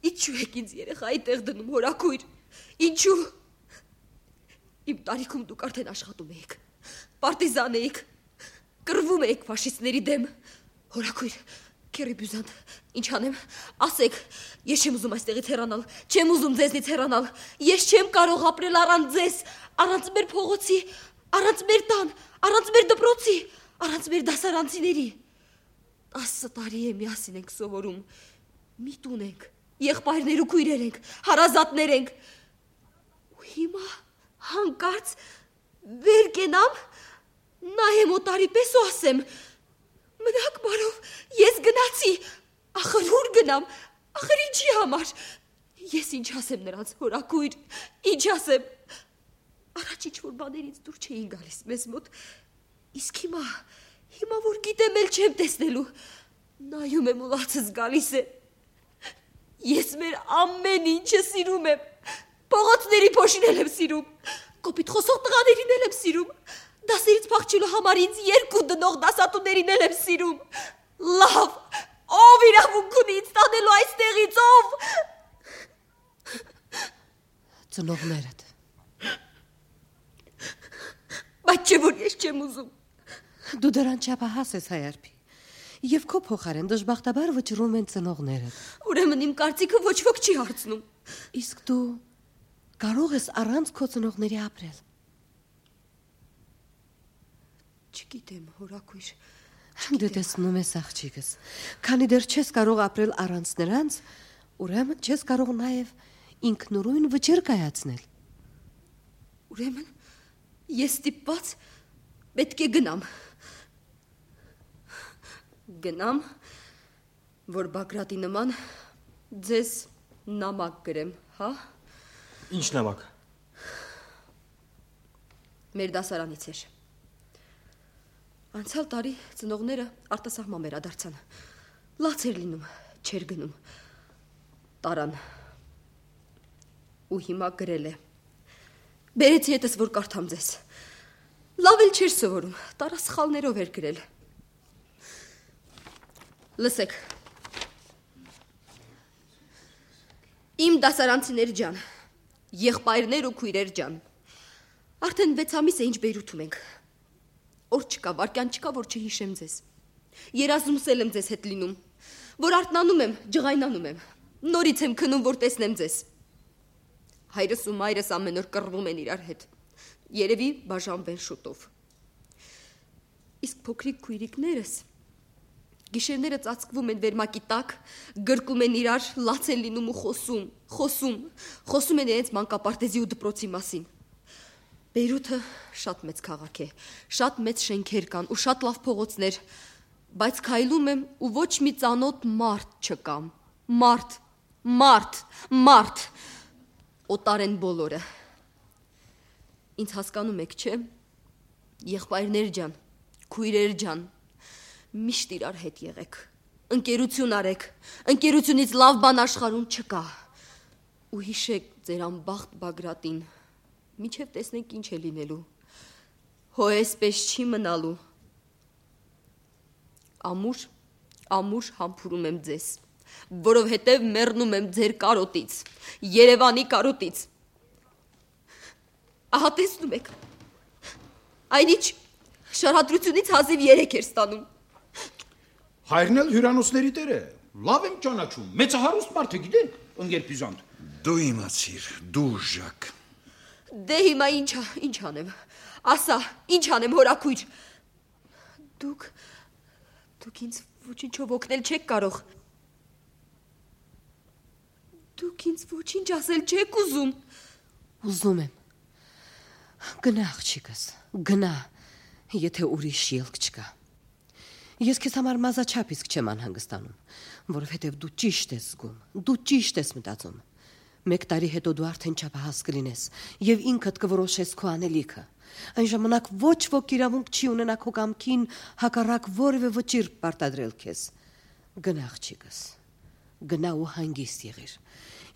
Ինչու եք ինձ երեխայի տեղ դնում, հորաքույր։ Ինչու։ Իմ տարիքում դուք արդեն աշխատում էիք, պարտիզան էիք, կռվում էիք ֆաշիստների դեմ։ Հորաքույր, քերի բյուզանտ, ինչ անեմ, ասեք, ես չեմ ուզում այստեղից հեռանալ, չեմ ուզում ձեզնից հեռանալ, ես չեմ կարող ապրել առանց ձեզ, առանց մեր փողոցի, առանց մեր տան, առանց մեր դպրոցի, առանց մեր դասարանցիների։ Տասը տարի է միասին ենք սովորում, մի տուն ենք, եղբայրներ ու քույրեր ենք, հարազատներ ենք։ Ու հիմա հանկարծ վեր կենամ, նայեմ օտարի պես ու ասեմ, մնաք բարով, ես գնացի, ախր ուր գնամ, ախր ինչի համար, ես ինչ ասեմ նրանց, հորաքույր, ինչ ասեմ, առաջ ինչ-որ բաներից դուր չէին գալիս մեզ մոտ, իսկ հիմա, հիմա որ գիտեմ էլ չեմ տեսնելու, նայում եմ ու լացս գալիս է, ես մեր ամեն ինչը սիրում եմ, փողոցների փոշին եմ սիրում, կոպիտ խոսող տղաներին եմ սիրում, դասերից փախչելու համար ինձ երկու դնող դասատուներին եմ սիրում, լավ, ով իրավունք ունի ինձ տանելու այստեղից, ով։ Ծնողներդ։ Բայց չէ որ ես չեմ ուզում։ Դու դրան չափահաս ես, հայարփի, և քո փոխարեն դժբախտաբար վճռում են ծնողներդ։ Ուրեմն իմ կարծիքը ոչ ոք չի հարցնում։ Իսկ դու կարող ես առանց քո ծնողների ապրել։ Չգիտեմ, հորաքույր։ Դու տեսնում ես աղջիկս, քանի դեռ չես կարող ապրել առանց նրանց, ուրեմն չես կարող նաև ինքնուրույն վճիռ կայացնել։ Ուրեմն ես ստիպված պետք է գնամ։ Գնամ, որ Բագրատի նման ձեզ նամակ գրեմ, հա։ Ինչ նամակ։ Մեր դասարանից էր։ Անցյալ տարի ծնողները արտասահման վերադարձան։ Լաց էր լինում, չեր գնում։ Տարան։ Ու հիմա գրել է։ Բերեցի հետս, որ կարդամ ձեզ։ Լավ էլ չէր սովորում, տարա սխալներով էր գրել։ Լսեք, Իմ դասարանցիներ ջան, եղբայրներ ու քույրեր ջան, արդեն վեց ամիս է ինչ Բեյրութում ենք։ Օր չկա, վարկյան չկա, որ չհիշեմ ձեզ։ Երազումսել եմ ձեզ հետ լինում, որ արթնանում եմ, ջղայնանում եմ, նորից եմ քնում, որ տեսնեմ ձեզ։ Հայրս ու մայրս ամեն օր կռվում են իրար հետ, երևի բաժանվեն շուտով։ Իսկ փոքրիկ քույրիկներս գիշերները ծածկվում են վերմակի տակ, գրկում են իրար, լաց են լինում ու խոսում, խոսում, խոսում են իրենց մանկապարտեզի ու դպրոցի մասին։ Բեյրութը շատ մեծ քաղաք է, շատ մեծ շենքեր կան ու շատ լավ փողոցներ, բայց քայլում եմ ու ոչ մի ծանոթ մարդ չկա։ Մարդ, մարդ, մարդ։ Օտար են բոլորը։ Ինձ հասկանում եք, չէ՞։ Եղբայրներ ջան, քույրեր ջան, միշտ իրար հետ եղեք, ընկերություն արեք, ընկերությունից լավ բան աշխարհում չկա։ Ու հիշեք ձեր անբախտ Բագրատին, մինչև տեսնենք ինչ է լինելու։ Հո էսպես չի մնալու։ Ամուր, ամուր համբուրում եմ ձեզ, որովհետև մեռնում եմ ձեր կարոտից, Երևանի կարոտից։ Ահա տեսնում եք, այնիչ շարադրությունից հազիվ երեք էր ստանում։ Հայրն էլ հյուրանոցների տեր է, լավ եմ ճանաչում, մեծահարուստ մարդ է, գիտեք, ընկեր Բյուզանտ։ Դու իմացիր, դու Ժակ։ Դե հիմա ինչա, ինչ անեմ, ասա, ինչ անեմ հորաքույր։ Դուք, դուք ինձ ոչինչով օգնել չեք կարող։ Դուք ինձ ոչինչ ասել չեք ուզում։ Ուզում եմ։ Գնա աղջիկս, գնա, եթե ուրիշ ելք չկա։ Ես քեզ համար մազաչափ իսկ չեմ անհանգստանում, որովհետև դու ճիշտ ես զգում, դու ճիշտ ես մտածում։ Մեկ տարի հետո դու արդեն չափահաս կլինես եւ ինքդ կորոշես քո անելիքը։ Այն ժամանակ ոչ ոք իրավունք չի ունենա քո կամքին հակառակ որևէ վճիռ պարտադրել քեզ։ Գնա աղջիկս, գնա ու հանգիստ եղիր։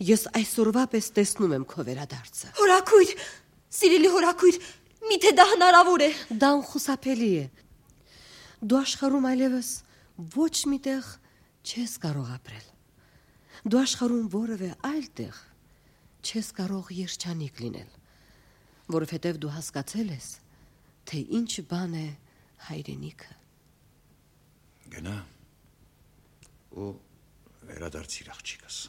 Ես այսօրվա պես տեսնում եմ քո վերադարձը։ Հորաքույր, սիրելի հորաքույր, միթե դա հնարավոր է։ Դա անխուսափելի է։ Դու աշխարհում այլևս ոչ միտեղ չես կարող ապրել։ Դու աշխարհում որևէ այլ տեղ չես կարող երջանիկ լինել, որովհետև դու հասկացել ես, թե ինչ բան է հայրենիքը։ Գնա ու վերադարձիր աղջիկս։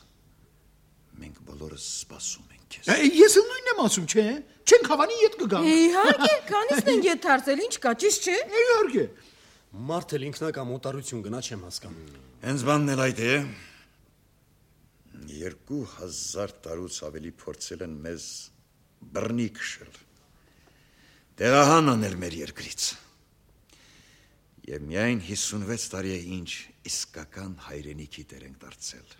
Մենք բոլորս սպասում ենք քեզ։ Ես էլ նույնն եմ ասում, չէ՞։ Չենք հավանի ետ կգանք։ Իհարկե, քանիսն են ետ դարձել, ինչ կա, ճիշտ չէ։ Իհարկե։ Մարդը ինքնակամ օտարություն գնա չեմ հասկանում։ Հենց բանն էլ այդ է։ Երկու հազար տարուց ավելի փորձել են մեզ բռնի քշել, տեղահան անել մեր երկրից։ Եվ միայն հիսունվեց տարի է ինչ իսկական հայրենիքի տեր ենք դարձել։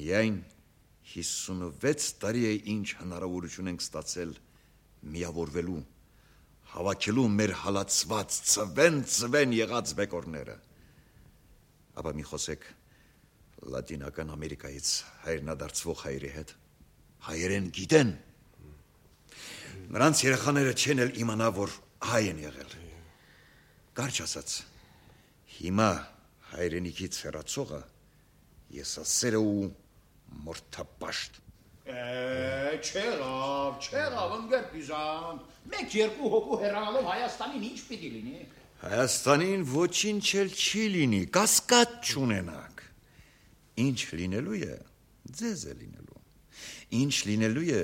Միայն հիսունվեց տարի է ինչ հնարավորություն ենք ստացել միավորվելու, հավաքելու մեր հալածված ծվեն-ծվեն եղած բեկորները։ Ապա մի խոսեք Լատինական Ամերիկայից հայրենադարձվող հայերի հետ, հայերեն գիտեն։ Նրանց երեխաները չեն էլ իմանա, որ հայ են եղել։ Կարճ ասած, հիմա հայրենիքից հեռացողը եսասերը ու մորթապաշտ։ Չեղավ, չեղավ, ընկեր Բյուզանտ, մեկ երկու հոգու հեռանալով Հայաստանին ինչ պիտի լինի։ Հայաստանին ոչինչ էլ չի լինի, կասկած չունենաք։ Ինչ լինելու է, ձեզ է լինելու։ Ինչ լինելու է,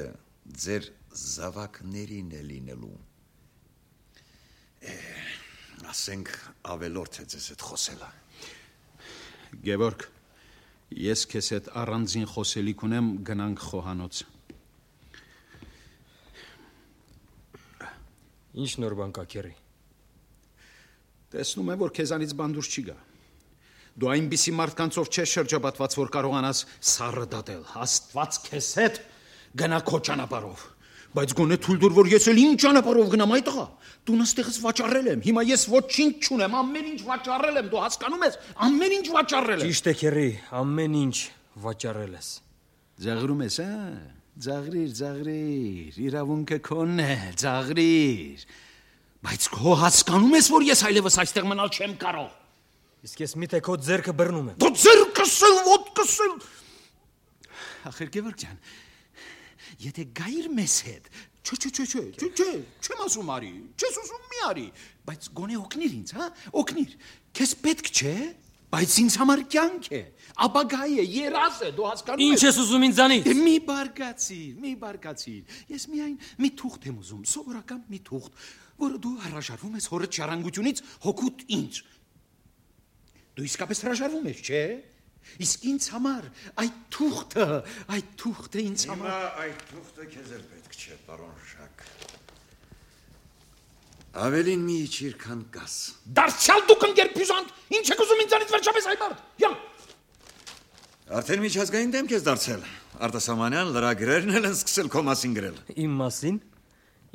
ձեր զավակներին է լինելու։ Ասենք ավելորդ է ձեզ հետ խոսելը։ Գևորգ, ես քեզ հետ առանձին խոսելիք ունեմ, գնանք խոհանոց։ Ինչ նոր բան կա, քերի։ Տեսնում եմ, որ քեզանից բան դուրս չի գա։ Դու այնպիսի մարդկանցով չես շրջապատված, որ կարողանաս սառը դատել, Աստված քեզ հետ գնա քո ճանապարհով, բայց գոնե թույլ տուր, որ ես էլ իմ ճանապարհով գնամ, այ տղա, տունս տեղս վաճառել եմ, հիմա ես ոչինչ չունեմ, ամեն ինչ վաճառել եմ, դու հասկանում ես, ամեն ինչ վաճառել եմ։ Ճիշտ է, քերի, ամեն ինչ վաճառել ես։ Ձաղրում ես, հա, ձաղրիր, ձաղրիր, իրավունքը քոնն է, ձաղրիր, բայց քո հասկանում ես, որ ես այլևս այստեղ մնալ չեմ կարող։ Իսկ ես միթե քո ձեռքը բռնում եմ։ Դու ձեռքս էլ, ոտքս էլ։ Ախր Գևորգ ջան, եթե գայիր մեզ հետ, չէ, չէ, չէ, չէ, չէ, չէ, չեմ ասում արի, չես ասում մի արի, բայց գոնե օգնիր ինձ, հա, օգնիր, քեզ պետք չէ, բայց ինձ համար կյանք է, ապագա է, երազ է, դու հասկանում ես։ Ինչ ես ուզում ինձանից։ Մի բարգացիր, մի բարգացիր, ես միայն մի թուղթ եմ ուզում, սովորական մի թուղթ, որը դու հրաժարվում ես հորդ ժառանգությունից հոգուտ ինձ։ Դու իսկապես հրաժարվում ես, չէ՞։ Իսկ ինձ համար այդ թուղթը, այդ թուղթը ինձ համար։ Հիմա այդ թուղթը քեզ էլ պետք չէ, պարոն Ժակ։ Ավելին մի իջիր, քան կաս։ Դարձյալ դուք ընկերբյուզանտ, ինչ եք ուզում ինձանից վերջապես այ մարդ։ Յա։ Արդեն միջազգային դեմք ես դարձել։ Արտասահմանյան լրագրերն էլ են սկսել քո մասին գրել։ Իմ մասին։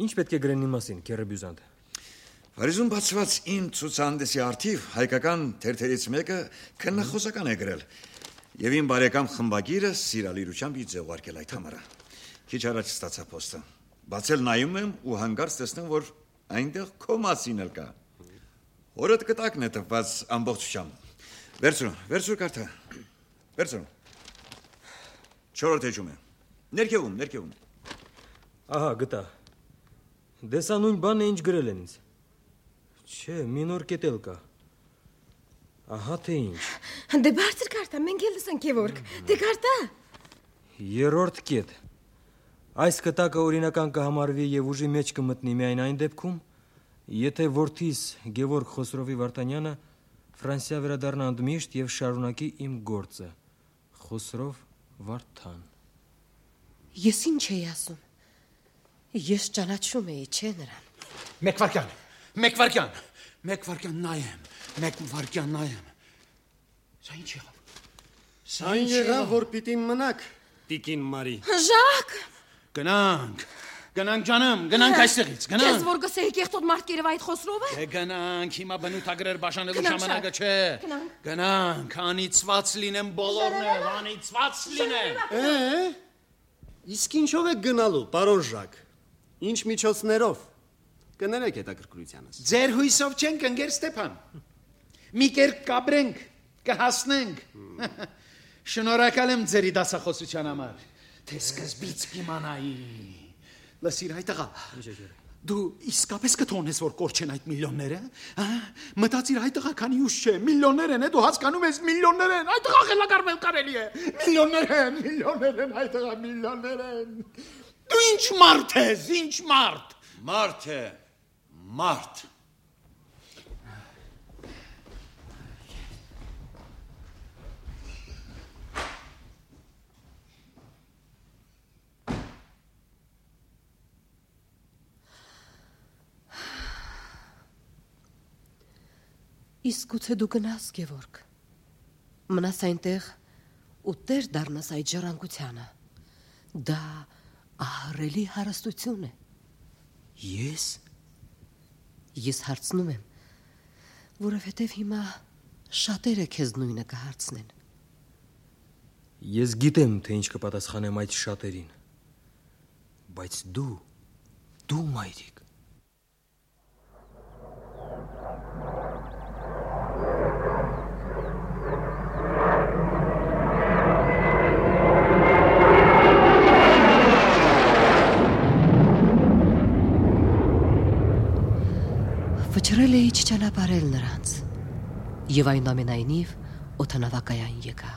Ինչ պետք է գրեն իմ մասին, Քերեբյուզանտ։ Փարիզում բացված իմ ցուցահանդեսի արդիվ հայկական թերթերից մեկը քննախոսական է գրել։ Եվ իմ բարեկամ խմբագիրը սիրալիրությամբ ինձ ուղարկել այդ համարը։ Քիչ առաջ ստացա փոստը։ Բացել նայում եմ ու հանկարծ տեսնում, որ այնտեղ քո մասին էլ կա։ Օրդ կտակն է տված ամբողջությամբ։ Վերցրու, վերցրու կարթը։ Վերցրու։ Չորրորդ էջում է։ Ներքևում, ներքևում։ Ահա, գտա։ Դեսա նույն բանն է, ինչ գրել են ինձ։ Չէ, մի նոր կետ էլ կա։ Ահա թե ինչ։ Դե բարձր կարտա, մենք էլ լսենք Գևորգ։ Դե կարտա։ Երրորդ կետ։ Այս կտակը օրինական կհամարվի եւ ուժի մեջ կմտնի միայն այն դեպքում, եթե որդիս Գևորգ Խոսրովի Վարդանյանը Ֆրանսիա վերադառնա ընդմիշտ եւ շարունակի իմ գործը։ Խոսրով Վարդան։ Ես ինչ էի ասում։ Ես ճանաչում էի, չէ՞ նրան։ Մեկ վարքյան, մեկ վարքյան, մեկ վարքյան նայեմ, մեկ վարքյան նայեմ։ Սա ինչ եղավ։ Սա ինչ եղավ, որ պիտի մնաք, Տիկին Մարի։ Ժակ։ Գնանք, գնանք ջանım, գնանք այստեղից, գնանք։ Քեզ որ գսեի կեղտոտ Մարտկերև այդ Խոսրովը։ Դե գնանք, հիմա բնութագրեր բաժանելու ժամանակը չէ։ Գնանք, անիծված լինեմ բոլորն էլ, անիծված լինեն։ Է, իսկ ինչով եք գնալու, պարոն Ժակ։ Ինչ միջոցներով։ Կներեք հետաքրքրությանս։ Ձեր հույսով չենք, ընկեր Ստեփան։ Մի կերպ կապրենք, կհասնենք։ Շնորհակալ եմ ձերի դասախոսության համար։ Թե սկզբից կիմանայի։ Լսիր այդ աղա։ Դու իսկապես կթողնես, որ կորչեն այդ միլիոնները, հա? Մտածիր այդ աղա քանի ուժ չէ, միլիոններ են, դու հասկանում ես, միլիոններ են, այդ աղա խելագարվել կարելի է։ Միլիոններ են, միլիոններ են, այդ աղա միլիոններ են։ Դու ինչ մարդ ես, ինչ մարդ։ Մարդ է, մարդ։ Իսկ գուցե դու գնաս, Գևորգ, մնաս այնտեղ ու տեր դառնաս այդ ժառանգությանը, դա ահռելի հարստություն է։ Ես? Ես հարցնում եմ, որովհետև հիմա շատերը քեզ նույնը կհարցնեն։ Ես գիտեմ, թե ինչ կպատասխանեմ այդ շատերին, բայց դու, դու մայրիկ, Վճռել էի չճանապարհել նրանց, եւ այնուամենայնիվ օդանավակայան եկա։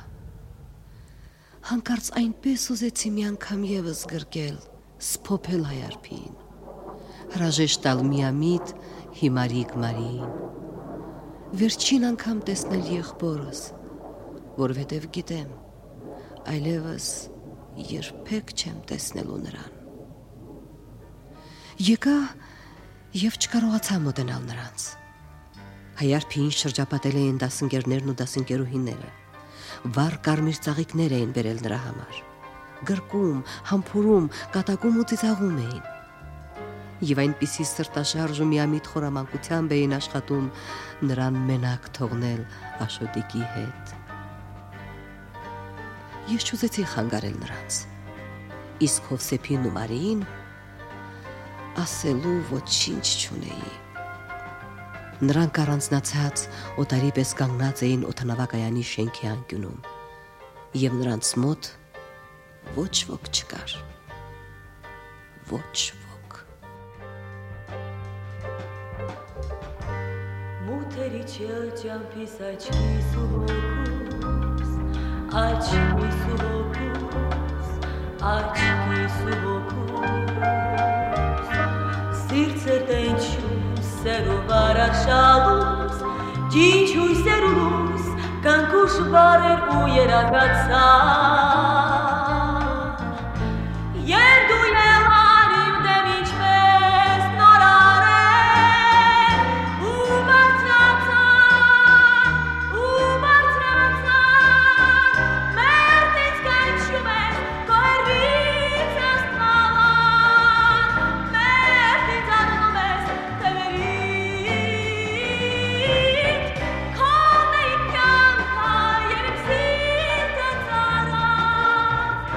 Հանկարծ այնպես ուզեցի մի անգամ եւս գրկել, սփոփել հայարփին, հրաժեշտ տալ միամիտ հիմարիկ Մարիին, վերջին անգամ տեսնել եղբորս, որովհետև գիտեմ, այլևս երբեք չեմ տեսնելու նրան։ Եկա եւ չկարողացա մոտենալ նրանց։ Հայարփին շրջապատել էին դասընկերներն ու դասընկերուհիները։ Վառ կարմիր ծաղիկներ էին բերել նրա համար։ Գրկում, համբուրում, կատակում ու ծիծաղում էին։ Եվ այնպիսի սրտաշարժ ու միամիտ խորամանկությամբ էին աշխատում նրան մենակ թողնել Աշոտիկի հետ։ Ես չուզեցի խանգարել նրանց։ Իսկ Հովսեփին ու Մարիին ասելու ոչինչ չունեի։ Նրանք առանձնացած օտարի պես կանգնած էին օդանավակայանի շենքի անկյունում, եւ նրանց մոտ ոչ ոք չկար։ Ոչ ոք։ Մութերի չջամփիս աչքիս ու հոգուս, աչքիս ու հոգուս, աչքիս ու հոգուս, սիրտը տենչում սերով արաշալուս, ջինչ հույսեր ու լույս, կանքուշ բարեր ու երագացար, և դու եղար իմ դեմ ինչպես նոր արել, ու բարձրացան, ու բարձրացան, մերտից կանչում ես, քո հեռվից աստղալան, մերտից անում ես թևերից, քոն է իմ կյանքը, և իմ սիրտը ծարավ,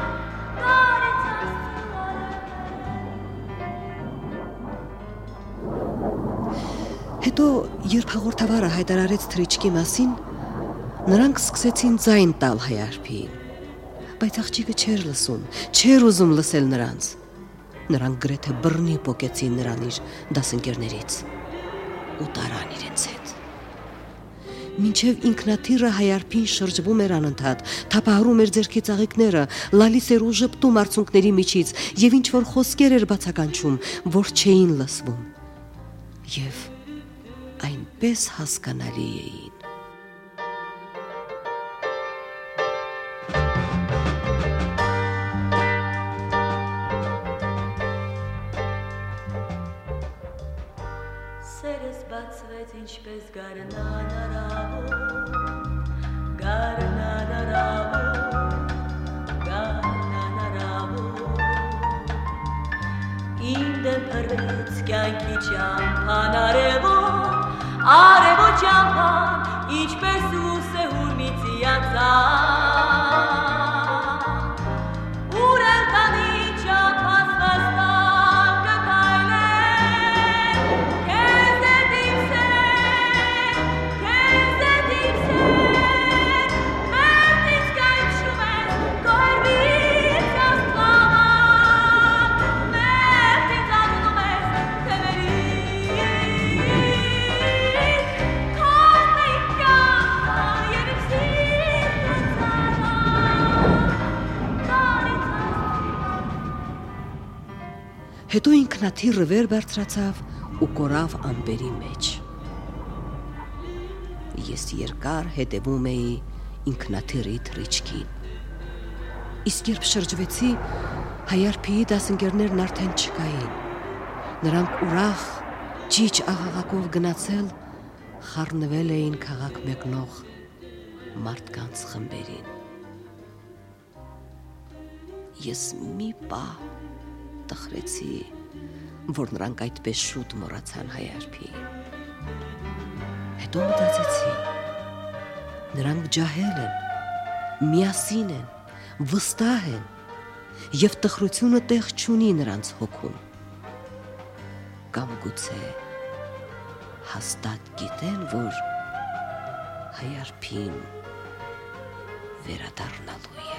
տարեց Հետո, երբ հաղորդավարը հայտարարեց թռիչքի մասին, նրանք սկսեցին ձայն տալ Հայարփիին, բայց աղջիկը չէր լսում, չէր ուզում լսել նրանց։ Նրանք գրեթե բռնի պոկեցին նրան իր դասընկերներից ու տարան իրենց հետ։ Մինչև ինքնաթիռը Հայարփին շրջվում էր անընդհատ, թափահարում էր ձեռքի ծաղիկները, լալիս էր ու ժպտում արցունքների միջից և ինչ-որ խոսքեր էր բացականչում, որ չէին լսվում։ Եվ այնպես հասկանալի էին։ Սերս բացվեց ինչպես գարնան արավոր, գարնան արավոր, գարնան արավոր, իմ դեմ փռվեց կյանքի ճամփան արևոտ, արևոտ ճամփան, ինչպես լույս է հուրմիցի ածան, ուր էլ տանի ճամփաս վաստակ կքայլեն, քեզ հետ իմ սեր, քեզ հետ իմ սեր, մերտից կանչում ես, քո հեռվից աստղալան, մերտից անում ես թևերից, քոն է իմ կյանքը, և իմ սիրտը ծարավ, տարեց Հետո ինքնաթիռը վեր բարձրացավ ու կորավ ամպերի մեջ։ Ես երկար հետևում էի ինքնաթիռի թռիչքին։ Իսկ երբ շրջվեցի, Հայարփիի դասընկերներն արդեն չկային։ Նրանք ուրախ, ճիչ աղաղակով գնացել, խառնվել էին քաղաք մեկնող մարդկանց խմբերին։ Ես մի պահ տխրեցի, որ նրանք այդպես շուտ մոռացան Հայարփիին։ Հետո մտածեցի, նրանք ջահել են, միասին են, վստահ են, և տխրությունը տեղ չունի նրանց հոգում։ Կամ գուցե հաստատ գիտեն, որ Հայարփին վերադառնալու է։